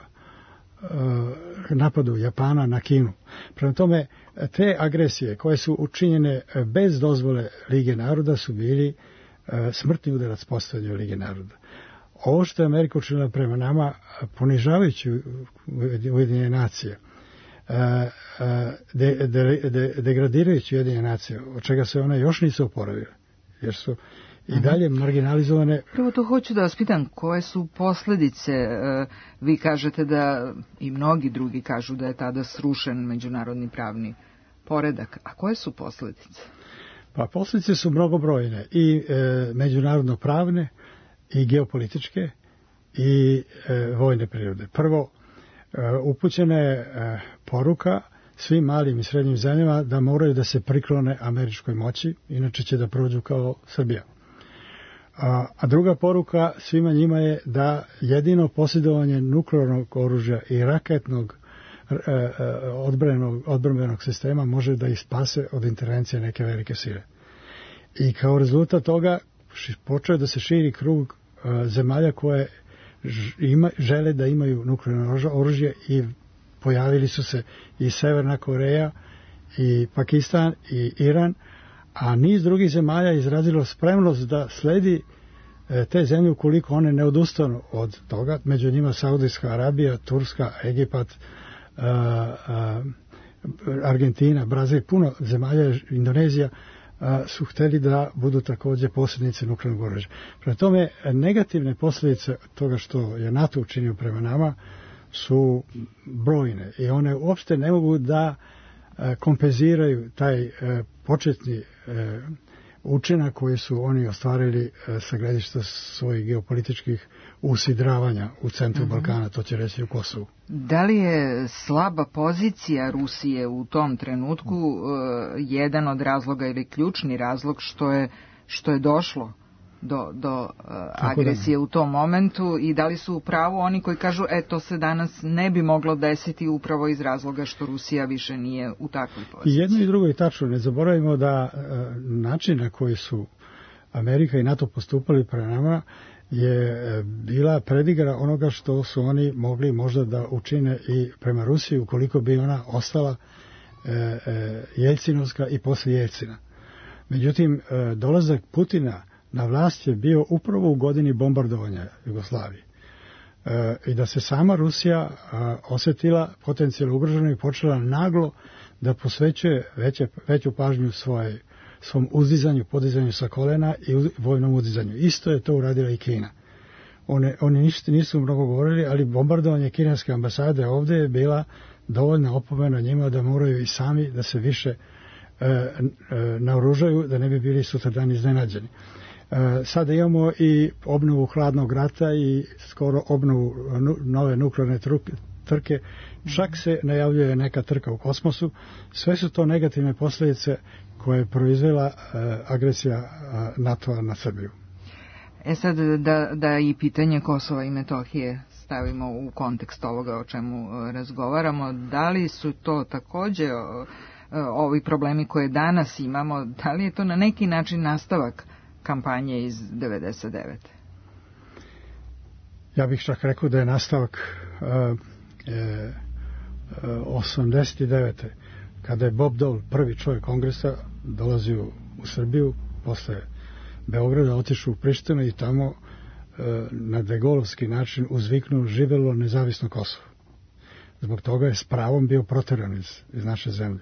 napadu Japana na Kinu. Prema tome, te agresije koje su učinjene bez dozvole Lige naroda su bili a, smrtni udarac postojanju Lige naroda. Ovo što je Amerika učinila prema nama, ponižavajući Ujedinjene nacije, de, de, de, degradirajući Ujedinjene nacije, od čega se one još nisu oporavile, jer su i dalje marginalizovane. Prvo to hoću da vas pitam, koje su posljedice? Vi kažete da i mnogi drugi kažu da je tada srušen međunarodni pravni poredak. A koje su posljedice? Pa posljedice su mnogobrojne i e, međunarodno pravne, i geopolitičke i e, vojne prirode. Prvo, e, upućena je e, poruka svim malim i srednjim zemljama da moraju da se priklone američkoj moći, inače će da prođu kao Srbija. A, a druga poruka svima njima je da jedino posjedovanje nuklearnog oružja i raketnog e, e, odbrambenog, odbrambenog sistema može da ih spase od intervencije neke velike sile. I kao rezultat toga počeo da se širi krug uh, zemalja koje ima, žele da imaju nuklearno oružje i pojavili su se i Severna Koreja i Pakistan i Iran, a niz drugih zemalja izrazilo spremnost da sledi uh, te zemlje ukoliko one ne odustanu od toga, među njima Saudijska Arabija, Turska, Egipat, uh, uh, Argentina, Brazil, puno zemalja, Indonezija, A, su hteli da budu također posrednici nuklearnog oružja. Prema tome, negativne posljedice toga što je NATO učinio prema nama su brojne i one uopšte ne mogu da a, kompenziraju taj a, početni a, učinak koji su oni ostvarili a, sa gledišta svojih geopolitičkih usidravanja u centru mm-hmm. Balkana, to će reći u Kosovu. Da li je slaba pozicija Rusije u tom trenutku uh, jedan od razloga ili ključni razlog što je, što je došlo do, do uh, agresije u tom momentu i da li su u pravu oni koji kažu e, to se danas ne bi moglo desiti upravo iz razloga što Rusija više nije u takvoj poziciji. I jedno i drugo je tačno. Ne zaboravimo da uh, način na koji su Amerika i NATO postupali prema nama je bila predigra onoga što su oni mogli možda da učine i prema Rusiji ukoliko bi ona ostala e, e, Jeljcinovska i posle Jeljcina. Međutim, e, dolazak Putina na vlast je bio upravo u godini bombardovanja Jugoslavije. E, I da se sama Rusija a, osetila potencijalno ugroženo i počela naglo da posvećuje veće, veću pažnju svoje svom uzdizanju, podizanju sa kolena i vojnom uzdizanju. Isto je to uradila i Kina. One, oni ništa nisu mnogo govorili, ali bombardovanje kineske ambasade ovde je bila dovoljna opomena njima da moraju i sami da se više e, e, naoružaju, da ne bi bili sutradan iznenađeni. E, sada imamo i obnovu hladnog rata i skoro obnovu nu, nove nuklearne truke, trke, čak se najavljuje neka trka u kosmosu. Sve su to negativne posljedice koje je proizvela uh, agresija uh, NATO-a na Srbiju. E sad da, da i pitanje Kosova i Metohije stavimo u kontekst ovoga o čemu uh, razgovaramo, da li su to takođe uh, ovi problemi koje danas imamo, da li je to na neki način nastavak kampanje iz devedeset devete? Ja bih čak rekao da je nastavak uh, e, osamdeset devete kada je Bob Dole, prvi čovjek kongresa, dolazio u Srbiju posle Beograda, otišao u Prištinu i tamo e, na degolovski način uzviknuo živelo nezavisno Kosovo. Zbog toga je s pravom bio proteran iz, iz naše zemlje.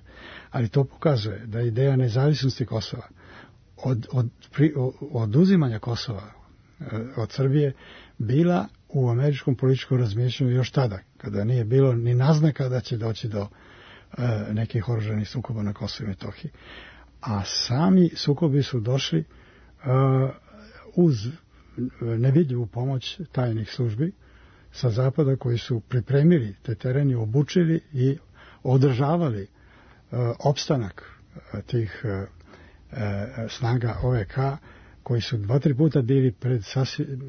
Ali to pokazuje da ideja nezavisnosti Kosova, od, od, pri, od oduzimanja Kosova e, od Srbije, bila u američkom političkom razmišljanju još tada, kada nije bilo ni naznaka da će doći do e, nekih oružanih sukoba na Kosovu i Metohiji. A sami sukobi su došli uh, uz nevidljivu pomoć tajnih službi sa zapada koji su pripremili te tereni, obučili i održavali uh, opstanak uh, tih uh, uh, snaga O V K koji su dva, tri puta bili pred sasvim,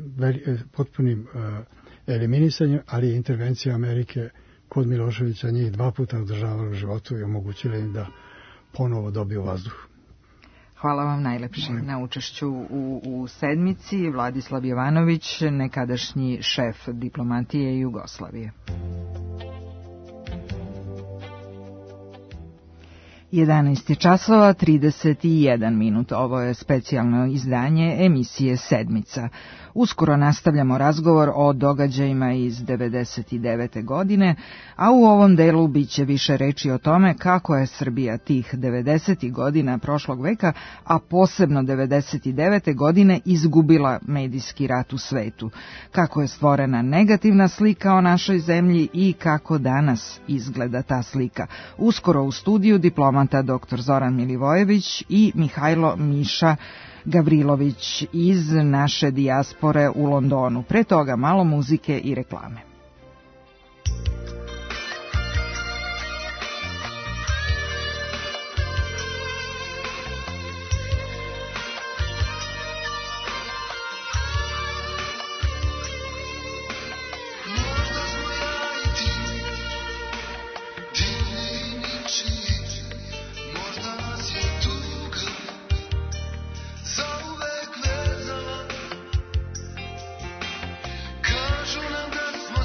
potpunim uh, eliminisanjem, ali intervencija Amerike kod Miloševića njih dva puta održavala u životu i omogućila im da ponovo dobiju vazduh. Hvala vam najlepše na učešću u, u sedmici. Vladislav Jovanović, nekadašnji šef diplomatije Jugoslavije. jedanaest časova trideset jedan minut. Ovo je specijalno izdanje emisije Sedmica. Uskoro nastavljamo razgovor o događajima iz devedeset devete godine, a u ovom delu biće više reči o tome kako je Srbija tih devedesetih godina prošlog veka, a posebno devedeset devete godine izgubila medijski rat u svetu, kako je stvorena negativna slika o našoj zemlji i kako danas izgleda ta slika. Uskoro u studiju diplomata doktor Zoran Milivojević i Mihajlo Miša Gavrilović iz naše dijaspore u Londonu. Pre toga malo muzike i reklame. Kažu nam da smo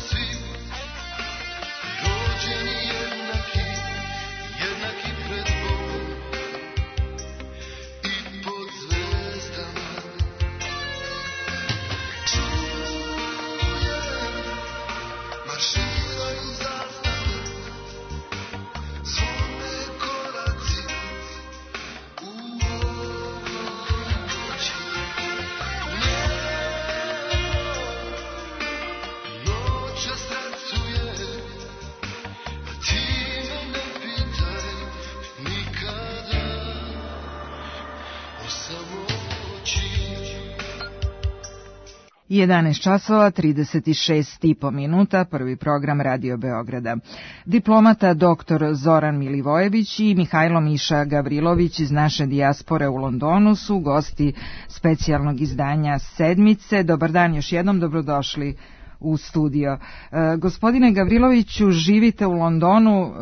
jedanaest časova trideset šest i po minuta, prvi program Radio Beograda. Diplomata doktor Zoran Milivojević i Mihajlo Miša Gavrilović iz naše dijaspore u Londonu su gosti specijalnog izdanja Sedmice. Dobar dan, još jednom dobrodošli u studio. E, gospodine Gavriloviću, živite u Londonu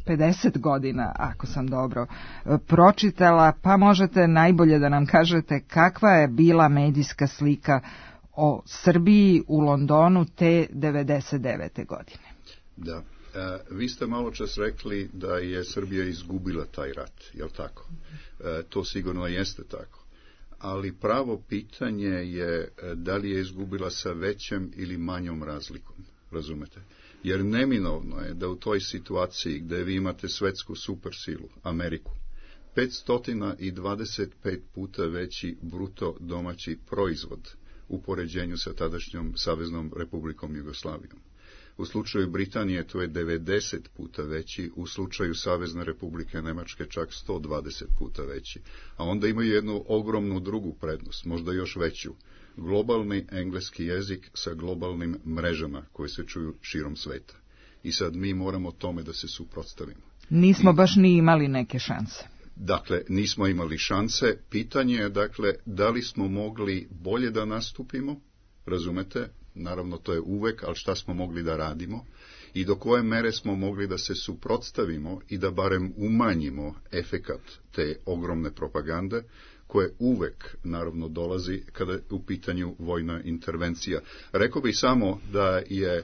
pedeset godina, ako sam dobro e, pročitala, pa možete najbolje da nam kažete kakva je bila medijska slika o Srbiji u Londonu te devedeset devete godine. Da, e, vi ste malo čas rekli da je Srbija izgubila taj rat, je li tako? E, to sigurno jeste tako. Ali pravo pitanje je da li je izgubila sa većem ili manjom razlikom, razumete? Jer neminovno je da u toj situaciji gde vi imate svetsku supersilu, Ameriku, petsto dvadeset pet puta veći bruto domaći proizvod u poređenju sa tadašnjom Saveznom Republikom Jugoslavijom. U slučaju Britanije to je devedeset puta veći, u slučaju Savezne Republike Nemačke čak sto dvadeset puta veći. A onda imaju jednu ogromnu drugu prednost, možda još veću. Globalni engleski jezik sa globalnim mrežama koje se čuju širom sveta. I sad mi moramo tome da se suprotstavimo. Nismo I, baš ni imali neke šanse. Dakle, nismo imali šanse. Pitanje je, dakle, da li smo mogli bolje da nastupimo, razumete? Naravno, to je uvek, ali šta smo mogli da radimo i do koje mere smo mogli da se suprotstavimo i da barem umanjimo efekat te ogromne propagande koje uvek, naravno, dolazi kada je u pitanju vojna intervencija. Rekao bih samo da je e,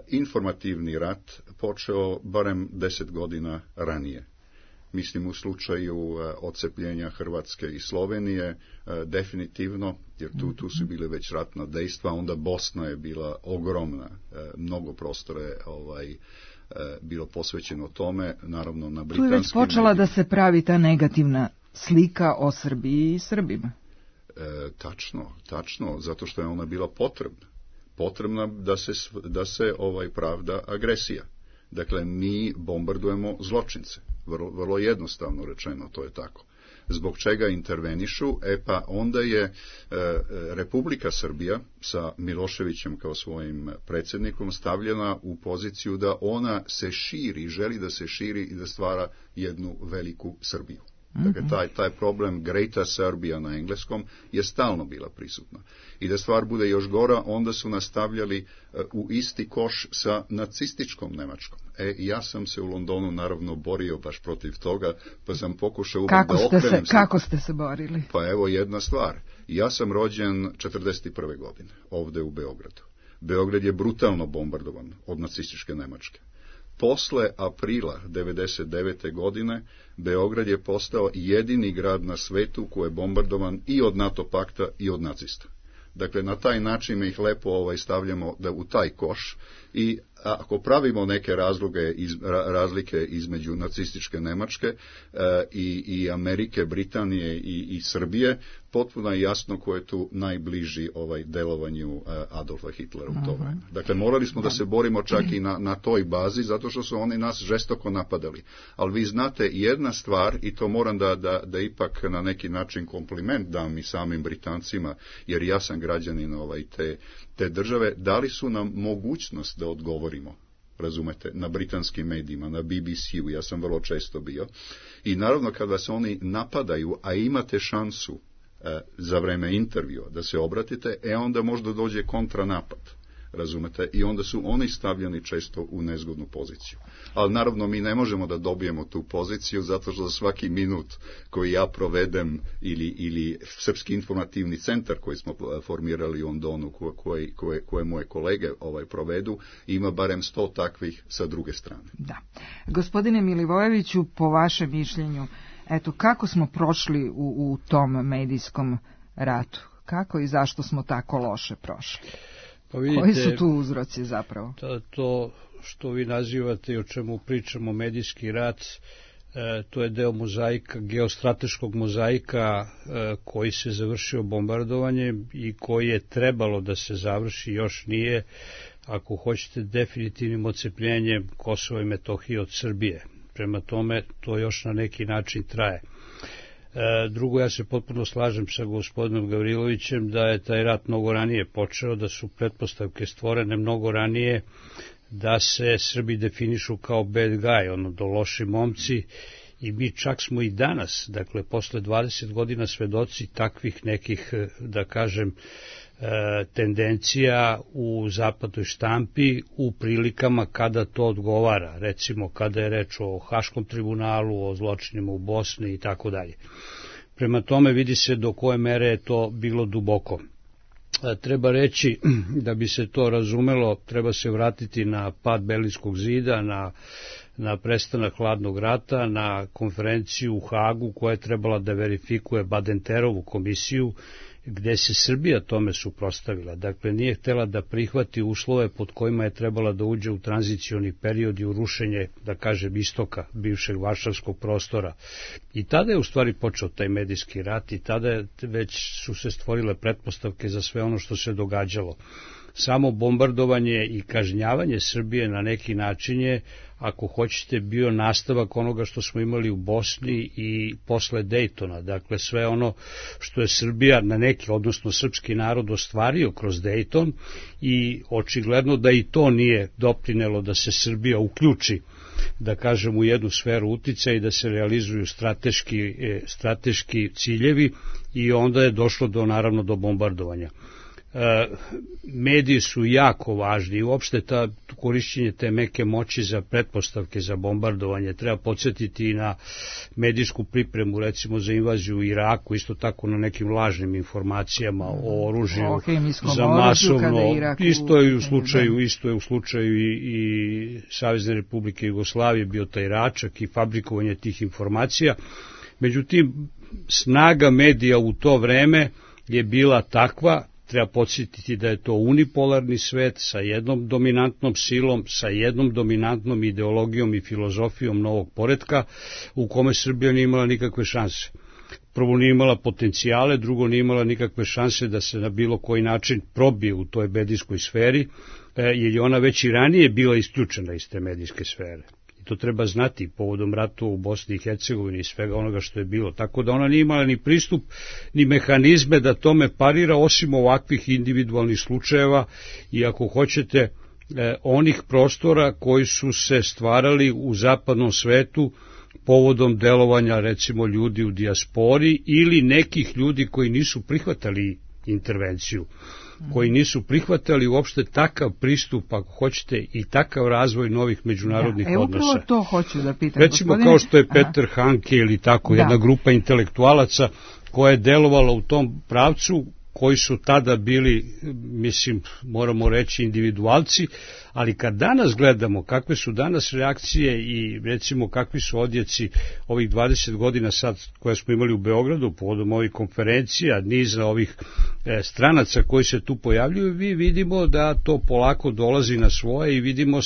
informativni rat počeo barem deset godina ranije. Mislim u slučaju uh, odcepljenja Hrvatske i Slovenije, uh, definitivno, jer tu, tu su bile već ratna dejstva, onda Bosna je bila ogromna, uh, mnogo prostora je ovaj, uh, bilo posvećeno tome, naravno na britanskim... Tu je već počela medijima da se pravi ta negativna slika o Srbiji i Srbima. Uh, tačno, tačno, zato što je ona bila potrebna. Potrebna da se, da se ovaj pravda agresija. Dakle, mi bombardujemo zločince. Vrlo, vrlo jednostavno rečeno, to je tako. Zbog čega intervenišu? E pa onda je e, Republika Srbija sa Miloševićem kao svojim predsjednikom stavljena u poziciju da ona se širi, želi da se širi i da stvara jednu veliku Srbiju. Dakle, taj, taj problem Greater Serbia na engleskom je stalno bila prisutna. I da stvar bude još gora, onda su nastavljali uh, u isti koš sa nacističkom Nemačkom. E, ja sam se u Londonu naravno borio baš protiv toga, pa sam pokušao uvijek da okrenem se. Kako ste se borili? Pa evo jedna stvar. Ja sam rođen četrdeset prve godine, ovde u Beogradu. Beograd je brutalno bombardovan od nacističke Nemačke. Posle aprila devedeset devete godine Beograd je postao jedini grad na svetu koji je bombardovan i od NATO pakta i od nacista. Dakle, na taj način ih lepo ovaj, stavljamo da u taj koš i ako pravimo neke razloge, iz, razlike između nacističke Nemačke e, i, i Amerike, Britanije i, i Srbije, potpuno je jasno ko je tu najbliži ovaj delovanju Adolfa Hitlera u to vreme. Dakle, morali smo da se borimo čak i na, na toj bazi, zato što su oni nas žestoko napadali. Ali vi znate jedna stvar, i to moram da, da, da ipak na neki način kompliment dam i samim Britancima, jer ja sam građanin ovaj, te, te države, dali su nam mogućnost da odgovorimo, razumete, na britanskim medijima, na B B C-u, ja sam vrlo često bio. I naravno kad vas oni napadaju, a imate šansu e, za vreme intervjua da se obratite, e onda možda dođe kontranapad, razumete, i onda su oni stavljeni često u nezgodnu poziciju. Ali naravno mi ne možemo da dobijemo tu poziciju zato što za svaki minut koji ja provedem ili, ili Srpski informativni centar koji smo formirali u Londonu, koje, koje, koje moje kolege ovaj provedu, ima barem sto takvih sa druge strane. Da. Gospodine Milivojeviću, po vašem mišljenju, eto, kako smo prošli u, u tom medijskom ratu? Kako i zašto smo tako loše prošli? Pa vidite, koji su tu uzroci zapravo? To, to što vi nazivate i o čemu pričamo medijski rat, e, to je deo mozaika, geostrateškog mozaika e, koji se završio bombardovanjem i koji je trebalo da se završi, još nije, ako hoćete, definitivnim odcepljenjem Kosova i Metohije od Srbije. Prema tome, to još na neki način traje. Drugo, ja se potpuno slažem sa gospodinom Gavrilovićem da je taj rat mnogo ranije počeo, da su pretpostavke stvorene mnogo ranije, da se Srbi definišu kao bad guy, ono do loši momci, i mi čak smo i danas, dakle, posle dvadeset godina svedoci takvih nekih, da kažem, tendencija u zapadnoj štampi u prilikama kada to odgovara, recimo kada je reč o Haškom tribunalu, o zločinima u Bosni i tako dalje. Prema tome vidi se do koje mere je to bilo duboko. Treba reći, da bi se to razumelo, treba se vratiti na pad Berlinskog zida, na, na prestanak hladnog rata, na konferenciju u Hagu koja je trebala da verifikuje Badenterovu komisiju, gde se Srbija tome suprotstavila. Dakle, nije htela da prihvati uslove pod kojima je trebala da uđe u tranzicioni period i u rušenje, da kažem, istoka bivšeg varšavskog prostora. I tada je u stvari počeo taj medijski rat i tada je, već su se stvorile pretpostavke za sve ono što se događalo. Samo bombardovanje i kažnjavanje Srbije na neki način je, ako hoćete, bio nastavak onoga što smo imali u Bosni i posle Dejtona. Dakle, sve ono što je Srbija na neki, odnosno srpski narod, ostvario kroz Dejton, i očigledno da i to nije doprinelo da se Srbija uključi, da kažem, u jednu sferu uticaja i da se realizuju strateški, strateški ciljevi, i onda je došlo do, naravno, do bombardovanja. Mediji su jako važni i uopšte ta korišćenje te meke moći za pretpostavke za bombardovanje. Treba podsjetiti i na medijsku pripremu, recimo za invaziju u Iraku, isto tako na nekim lažnim informacijama o oružju za masovno, isto je u slučaju, isto je u slučaju i, i Savezne Republike Jugoslavije bio taj račak i fabrikovanje tih informacija. Međutim, snaga medija u to vreme je bila takva. Treba podsjetiti da je to unipolarni svet sa jednom dominantnom silom, sa jednom dominantnom ideologijom i filozofijom novog poretka, u kome Srbija nije imala nikakve šanse. Prvo, nije imala potencijale, drugo, nije imala nikakve šanse da se na bilo koji način probije u toj medijskoj sferi, jer je ona već i ranije bila isključena iz te medijske sfere. To treba znati povodom rata u Bosni i Hercegovini i svega onoga što je bilo. Tako da ona nije imala ni pristup, ni mehanizme da tome parira, osim ovakvih individualnih slučajeva i, ako hoćete, onih prostora koji su se stvarali u zapadnom svetu povodom delovanja, recimo, ljudi u dijaspori ili nekih ljudi koji nisu prihvatali intervenciju, koji nisu prihvatali uopšte takav pristup, ako hoćete, i takav razvoj novih međunarodnih da, e, odnosa. Upravo to hoću da pitam. Recimo, gospodine, kao što je Peter Aha. Hanke ili tako, da. Jedna grupa intelektualaca koja je delovala u tom pravcu, koji su tada bili, mislim, moramo reći, individualci, ali kad danas gledamo kakve su danas reakcije i, recimo, kakvi su odjeci ovih dvadeset godina sad koje smo imali u Beogradu povodom ovih konferencija, niza ovih e, stranaca koji se tu pojavljuju, vi vidimo da to polako dolazi na svoje i vidimo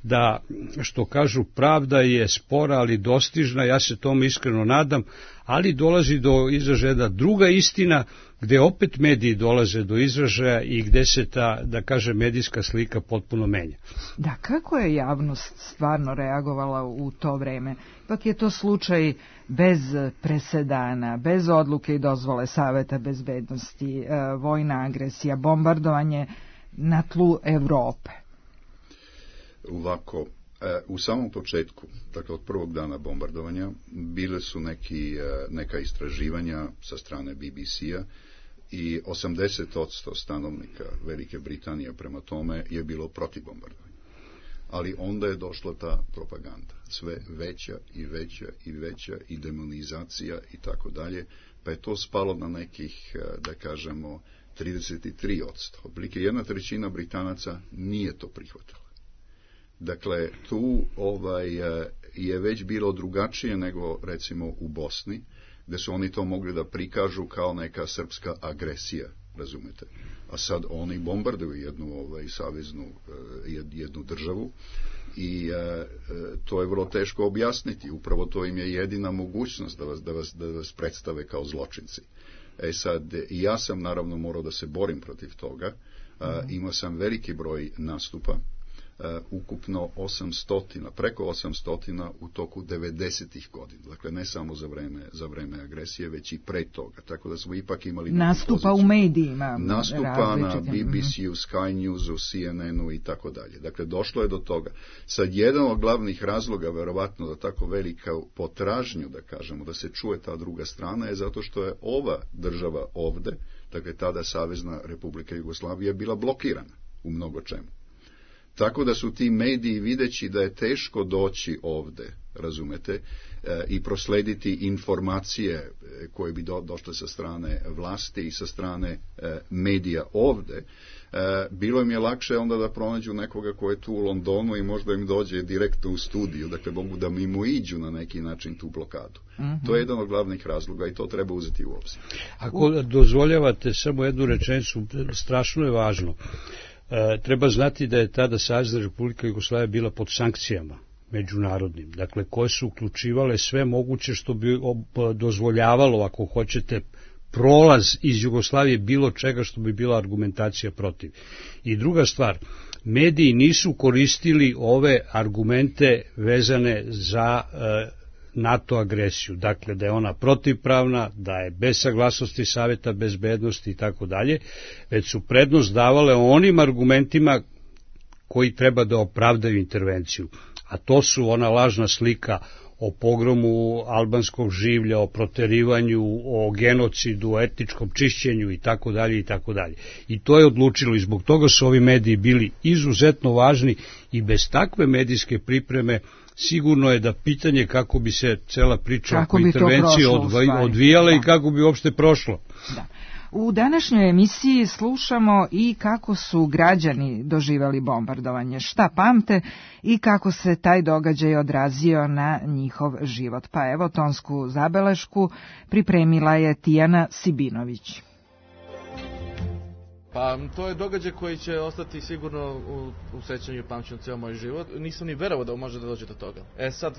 da, što kažu, pravda je spora, ali dostižna, ja se tome iskreno nadam, ali dolazi do izražaja druga istina, gde opet mediji dolaze do izražaja i gde se ta, da kaže, medijska slika potpuno menja. Da, kako je javnost stvarno reagovala u to vreme? Ipak je to slučaj bez presedana, bez odluke i dozvole Saveta bezbednosti, vojna agresija, bombardovanje na tlu Evrope. Ovako, u samom početku, dakle od prvog dana bombardovanja, bile su neki, neka istraživanja sa strane B B C-a i osamdeset posto stanovnika Velike Britanije prema tome je bilo protiv bombardovanja. Ali onda je došla ta propaganda, sve veća i veća i veća i demonizacija i tako dalje, pa je to spalo na nekih, da kažemo, trideset tri posto. Otprilike jedna trećina Britanaca nije to prihvatila. Dakle, tu ovaj, je već bilo drugačije nego, recimo, u Bosni, gde su oni to mogli da prikažu kao neka srpska agresija, razumete? A sad oni bombarduju jednu ovaj, saveznu jednu državu i e, to je vrlo teško objasniti. Upravo to im je jedina mogućnost da vas, da vas, da vas predstave kao zločinci. E sad, ja sam naravno morao da se borim protiv toga. A, imao sam veliki broj nastupa. ukupno osamsto, preko osamsto u toku devedesetih godina. Dakle, ne samo za vreme, za vreme agresije, već i pre toga. Tako da smo ipak imali... Nastupa u medijima. Nastupa na B B C-u, Sky News-u, C N N-u i tako dalje. Dakle, došlo je do toga. Sad, jedan od glavnih razloga, verovatno, za tako velika potražnju, da kažemo, da se čuje ta druga strana, je zato što je ova država ovde, dakle, tada Savezna Republika Jugoslavija, bila blokirana u mnogo čemu. Tako da su ti mediji, videći da je teško doći ovde, razumete, e, i proslediti informacije koje bi do, došle sa strane vlasti i sa strane e, medija ovde, e, bilo im je lakše onda da pronađu nekoga ko je tu u Londonu i možda im dođe direktno u studiju, dakle mogu da mimoiđu na neki način tu blokadu. Mm-hmm. To je jedan od glavnih razloga i to treba uzeti u obzir. Ako dozvoljavate samo jednu rečenicu, strašno je važno. E, treba znati da je tada Savezna Republika Jugoslavija bila pod sankcijama međunarodnim, dakle koje su uključivale sve moguće što bi dozvoljavalo, ako hoćete, prolaz iz Jugoslavije bilo čega što bi bila argumentacija protiv. I druga stvar, mediji nisu koristili ove argumente vezane za e, NATO agresiju, dakle da je ona protivpravna, da je bez saglasnosti Saveta bezbednosti i tako dalje, već su prednost davale onim argumentima koji treba da opravdaju intervenciju. A to su ona lažna slika o pogromu albanskog življa, o proterivanju, o genocidu, o etničkom čišćenju i tako dalje i tako dalje. I to je odlučilo i zbog toga su ovi mediji bili izuzetno važni i bez takve medijske pripreme sigurno je da pitanje kako bi se cela priča oko intervencije odvijala i kako bi uopšte prošlo. Da. U današnjoj emisiji slušamo i kako su građani doživjeli bombardovanje, šta pamte i kako se taj događaj odrazio na njihov život. Pa evo, tonsku zabelešku pripremila je Tijana Sibinović. Pa to je događaj koji će ostati sigurno u, u sećanju i pamćenju cijel moj život. Nisam ni verovao da može da dođe do toga. E sad,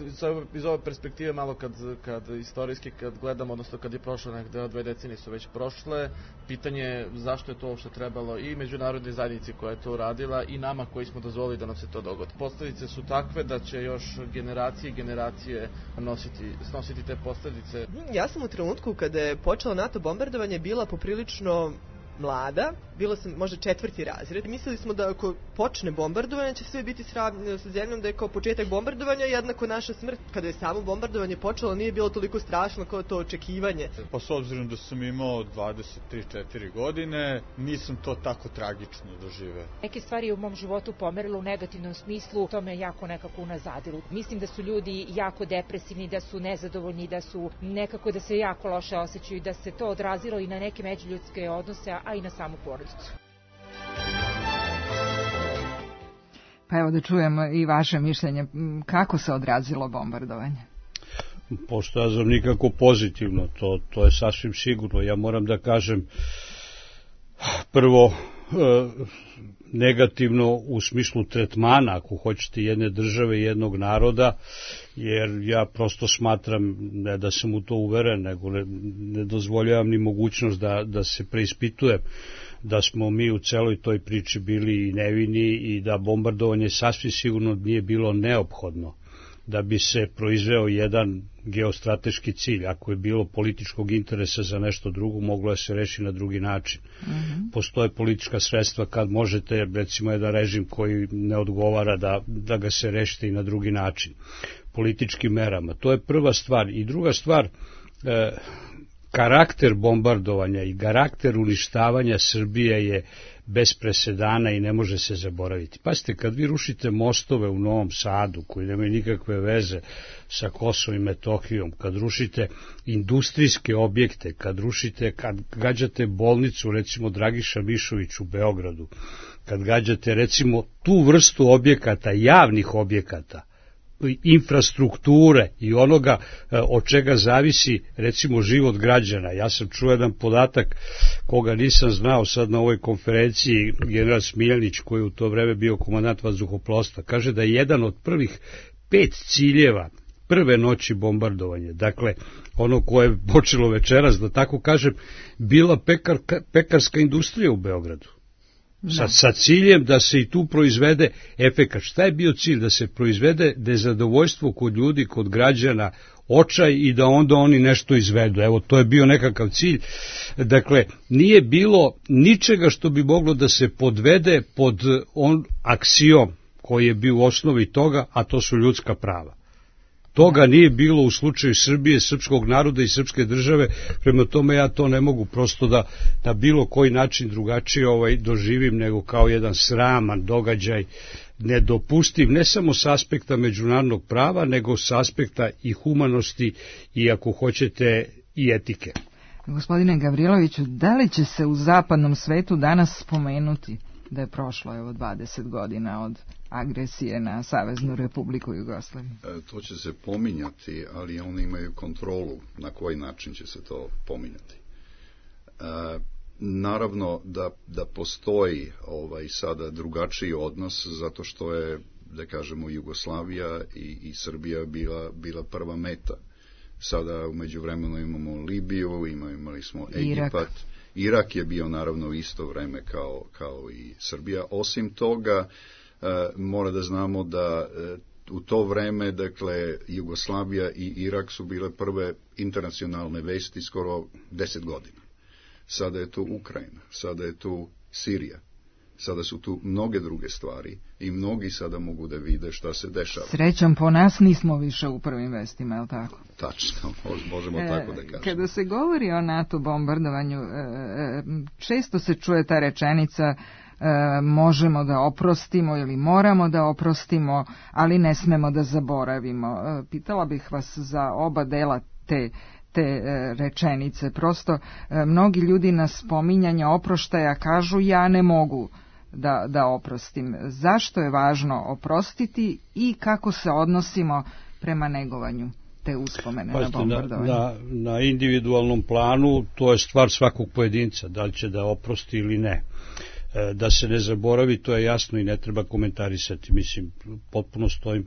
iz ove perspektive, malo kad, kad istorijski, kad gledamo, odnosno kad je prošlo nekde, dve decenije su već prošle, pitanje je zašto je to uopšte trebalo i međunarodnoj zajednici koja je to uradila i nama koji smo dozvolili da nam se to dogodi. Posledice su takve da će još generacije i generacije nositi, snositi te posledice. Ja sam u trenutku kada je počelo NATO bombardovanje bila poprilično mlada, bila sam možda četvrti razred. Mislili smo da ako počne bombardovanje će sve biti sravnjeno sa zemljom, da je kao početak bombardovanja jednako naša smrt. Kada je samo bombardovanje počelo nije bilo toliko strašno kao to očekivanje. Pa s obzirom da sam imao dvadeset tri četiri godine, nisam to tako tragično doživeo. Neke stvari u mom životu pomerilo u negativnom smislu, to me jako nekako unazadilo. Mislim da su ljudi jako depresivni, da su nezadovoljni, da su nekako da se jako loše osjećaju, da se to odrazilo i na neke međuljudske odnose, a i na samu porodicu. Pa evo da čujemo i vaše mišljenje. Kako se odrazilo bombardovanje? Pošto ja znam nikako pozitivno, to, to je sasvim sigurno. Ja moram da kažem prvo e, negativno u smislu tretmana, ako hoćete, jedne države i jednog naroda, jer ja prosto smatram, ne da sam u to uveren, nego ne, ne dozvoljavam ni mogućnost da, da se preispitujem, da smo mi u celoj toj priči bili nevini i da bombardovanje sasvim sigurno nije bilo neophodno da bi se proizveo jedan geostrateški cilj. Ako je bilo političkog interesa za nešto drugo, moglo je se reši na drugi način. Mm-hmm. Postoje politička sredstva kad možete, recimo, jedan režim koji ne odgovara da, da ga se rešite i na drugi način. Političkim merama. To je prva stvar. I druga stvar, e, karakter bombardovanja i karakter uništavanja Srbije je bez presedana i ne može se zaboraviti. Pazite, kad vi rušite mostove u Novom Sadu, koji nemaju nikakve veze sa Kosovom i Metohijom, kad rušite industrijske objekte, kad rušite, kad gađate bolnicu, recimo Dragiša Mišović u Beogradu, kad gađate, recimo, tu vrstu objekata, javnih objekata, infrastrukture i onoga od čega zavisi, recimo, život građana. Ja sam čuo jedan podatak koga nisam znao sad na ovoj konferenciji, general Smiljanić, koji je u to vreme bio komandant vazduhoplovstva, kaže da je jedan od prvih pet ciljeva prve noći bombardovanja, dakle ono koje je počelo večeras, da tako kažem, bila pekar, pekarska industrija u Beogradu. sa, sa ciljem da se i tu proizvede efekat. Šta je bio cilj? Da se proizvede nezadovoljstvo kod ljudi, kod građana, očaj i da onda oni nešto izvedu. Evo, to je bio nekakav cilj. Dakle, nije bilo ničega što bi moglo da se podvede pod on aksiom koji je bio u osnovi toga, a to su ljudska prava. Toga nije bilo u slučaju Srbije, srpskog naroda i srpske države, prema tome ja to ne mogu prosto da na bilo koji način drugačije ovaj, doživim nego kao jedan sraman događaj, nedopustiv ne samo s aspekta međunarodnog prava, nego s aspekta i humanosti i ako hoćete i etike. Gospodine Gavriloviću, da li će se u zapadnom svetu danas spomenuti da je prošlo evo dvadeset godina od agresije na Saveznu Republiku Jugoslaviju? E, to će se pominjati, ali oni imaju kontrolu na koji način će se to pominjati. E, naravno da, da postoji ovaj sada drugačiji odnos, zato što je, da kažemo, Jugoslavija i, i Srbija bila, bila prva meta. Sada u međuvremenu imamo Libiju, imali smo Egipat. Irak. Irak je bio naravno u isto vreme kao, kao i Srbija. Osim toga, e, mora da znamo da e, u to vreme, dakle, Jugoslavija i Irak su bile prve internacionalne vesti skoro deset godina. Sada je tu Ukrajina, sada je tu Sirija, sada su tu mnoge druge stvari i mnogi sada mogu da vide šta se dešava. Srećom po nas nismo više u prvim vestima, je li tako? Tačno, možemo e, tako da kažemo. Kada se govori o NATO bombardovanju, često se čuje ta rečenica možemo da oprostimo ili moramo da oprostimo, ali ne smemo da zaboravimo. Pitala bih vas za oba dela te te rečenice. Prosto mnogi ljudi na spominjanje oproštaja kažu ja ne mogu da, da oprostim. Zašto je važno oprostiti i kako se odnosimo prema negovanju te uspomene Pazite, na bombardovanje? Na, na, na individualnom planu to je stvar svakog pojedinca, da li će da oprosti ili ne. Da se ne zaboravi, to je jasno i ne treba komentarisati. Mislim, potpuno stojim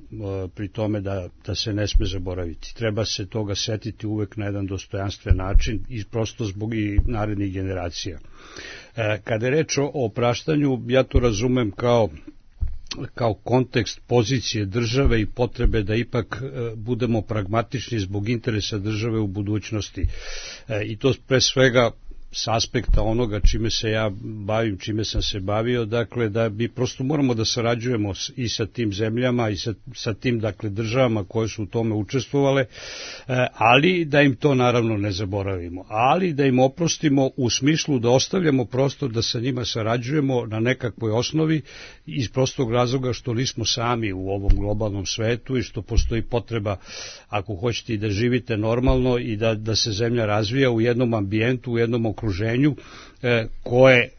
pri tome da, da se ne sme zaboraviti. Treba se toga setiti uvek na jedan dostojanstven način i prosto zbog i narednih generacija. Kada je reč o opraštanju, ja to razumem kao kao kontekst pozicije države i potrebe da ipak budemo pragmatični zbog interesa države u budućnosti. I to pre svega s aspekta onoga čime se ja bavim, čime sam se bavio, dakle da mi prosto moramo da sarađujemo i sa tim zemljama i sa, sa tim dakle državama koje su u tome učestvovale, ali da im to naravno ne zaboravimo, ali da im oprostimo u smislu da ostavljamo prostor da sa njima sarađujemo na nekakvoj osnovi iz prostog razloga što nismo sami u ovom globalnom svetu i što postoji potreba, ako hoćete, i da živite normalno i da, da se zemlja razvija u jednom ambijentu, u jednom okruženju e, koje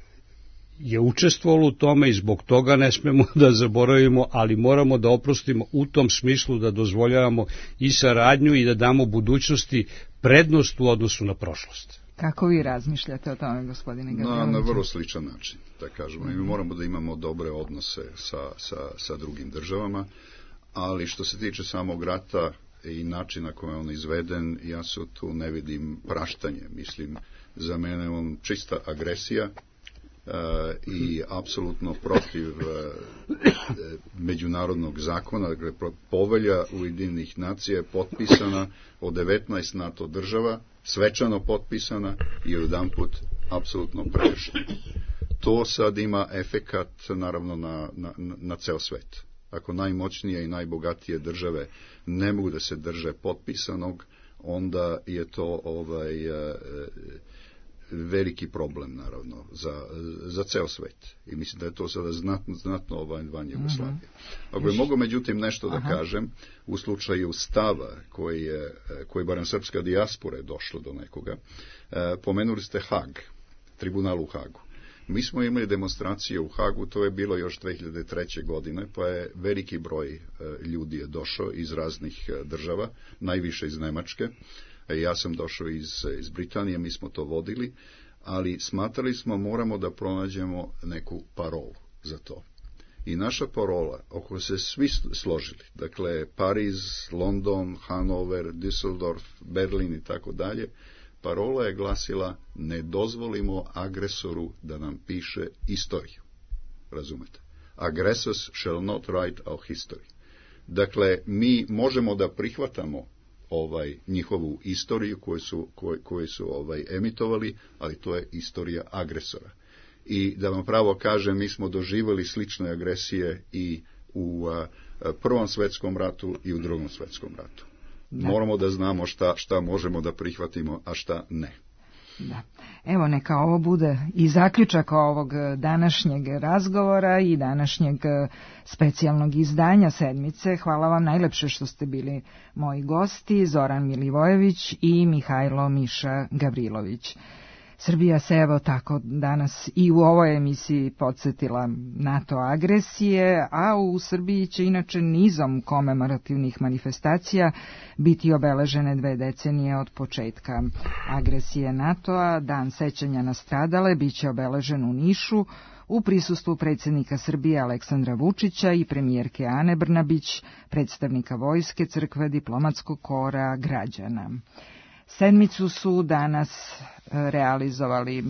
je učestvovalo u tome i zbog toga ne smemo da zaboravimo, ali moramo da oprostimo u tom smislu da dozvoljavamo i saradnju i da damo budućnosti prednost u odnosu na prošlost. Kako vi razmišljate o tome, gospodine Gavriloviću? Na, na vrlo sličan način, da kažemo. Mm-hmm. Mi moramo da imamo dobre odnose sa, sa, sa drugim državama, ali što se tiče samog rata i načina koji je on izveden, ja se tu ne vidim praštanje. Mislim, za mene je on čista agresija uh, i apsolutno protiv uh, međunarodnog zakona. Dakle, povelja Ujedinjenih nacija je potpisana od devetnaest NATO država, svečano potpisana i jedanput apsolutno prekršena. To sad ima efekat naravno na, na, na ceo svet. Ako najmoćnije i najbogatije države ne mogu da se drže potpisanog, onda je to ovaj e, veliki problem naravno za, za ceo svet. I mislim da je to sada znatno, znatno ovaj van Jugoslavije. Ako je mogu međutim nešto da Aha. kažem, u slučaju stava koji je, koji barem srpska dijaspora je došlo do nekoga, e, pomenuli ste Hag, tribunal u Hagu. Mi smo imali demonstracije u Hagu, to je bilo još dve hiljade treće. godine, pa je veliki broj e, ljudi je došao iz raznih e, država, najviše iz Nemačke. E, ja sam došao iz, iz Britanije, mi smo to vodili, ali smatrali smo moramo da pronađemo neku parolu za to. I naša parola, oko se svi složili, dakle Pariz, London, Hanover, Düsseldorf, Berlin i tako dalje, parola je glasila ne dozvolimo agresoru da nam piše istoriju. razumete? Aggressors shall not write our history. Dakle, mi možemo da prihvatamo ovaj njihovu istoriju koju su, koju, koju su ovaj emitovali, ali to je istorija agresora. I da vam pravo kažem, mi smo doživjeli slične agresije i u a, Prvom svetskom ratu i u Drugom svetskom ratu. Da. Moramo da znamo šta, šta možemo da prihvatimo, a šta ne. Da. Evo, neka ovo bude i zaključak ovog današnjeg razgovora i današnjeg specijalnog izdanja sedmice. Hvala vam najlepše što ste bili moji gosti, Zoran Milivojević i Mihajlo Miša Gavrilović. Srbija se evo tako danas i u ovoj emisiji podsjetila NATO agresije, a u Srbiji će inače nizom komemorativnih manifestacija biti obeležene dve decenije od početka agresije NATO-a. Dan sećanja na stradale biće obeležen u Nišu u prisustvu predsjednika Srbije Aleksandra Vučića i premijerke Ane Brnabić, predstavnika vojske, crkve, diplomatskog kora, građana. Sedmicu su danas realizovali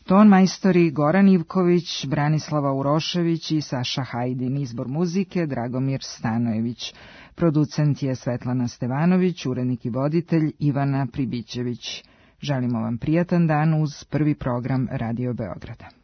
ton majstori Goran Ivković, Branislava Urošević i Saša Hajdin. Izbor muzike Dragomir Stanojević. Producent je Svetlana Stevanović, urednik i voditelj Ivana Pribićević. Želimo vam prijatan dan uz prvi program Radio Beograda.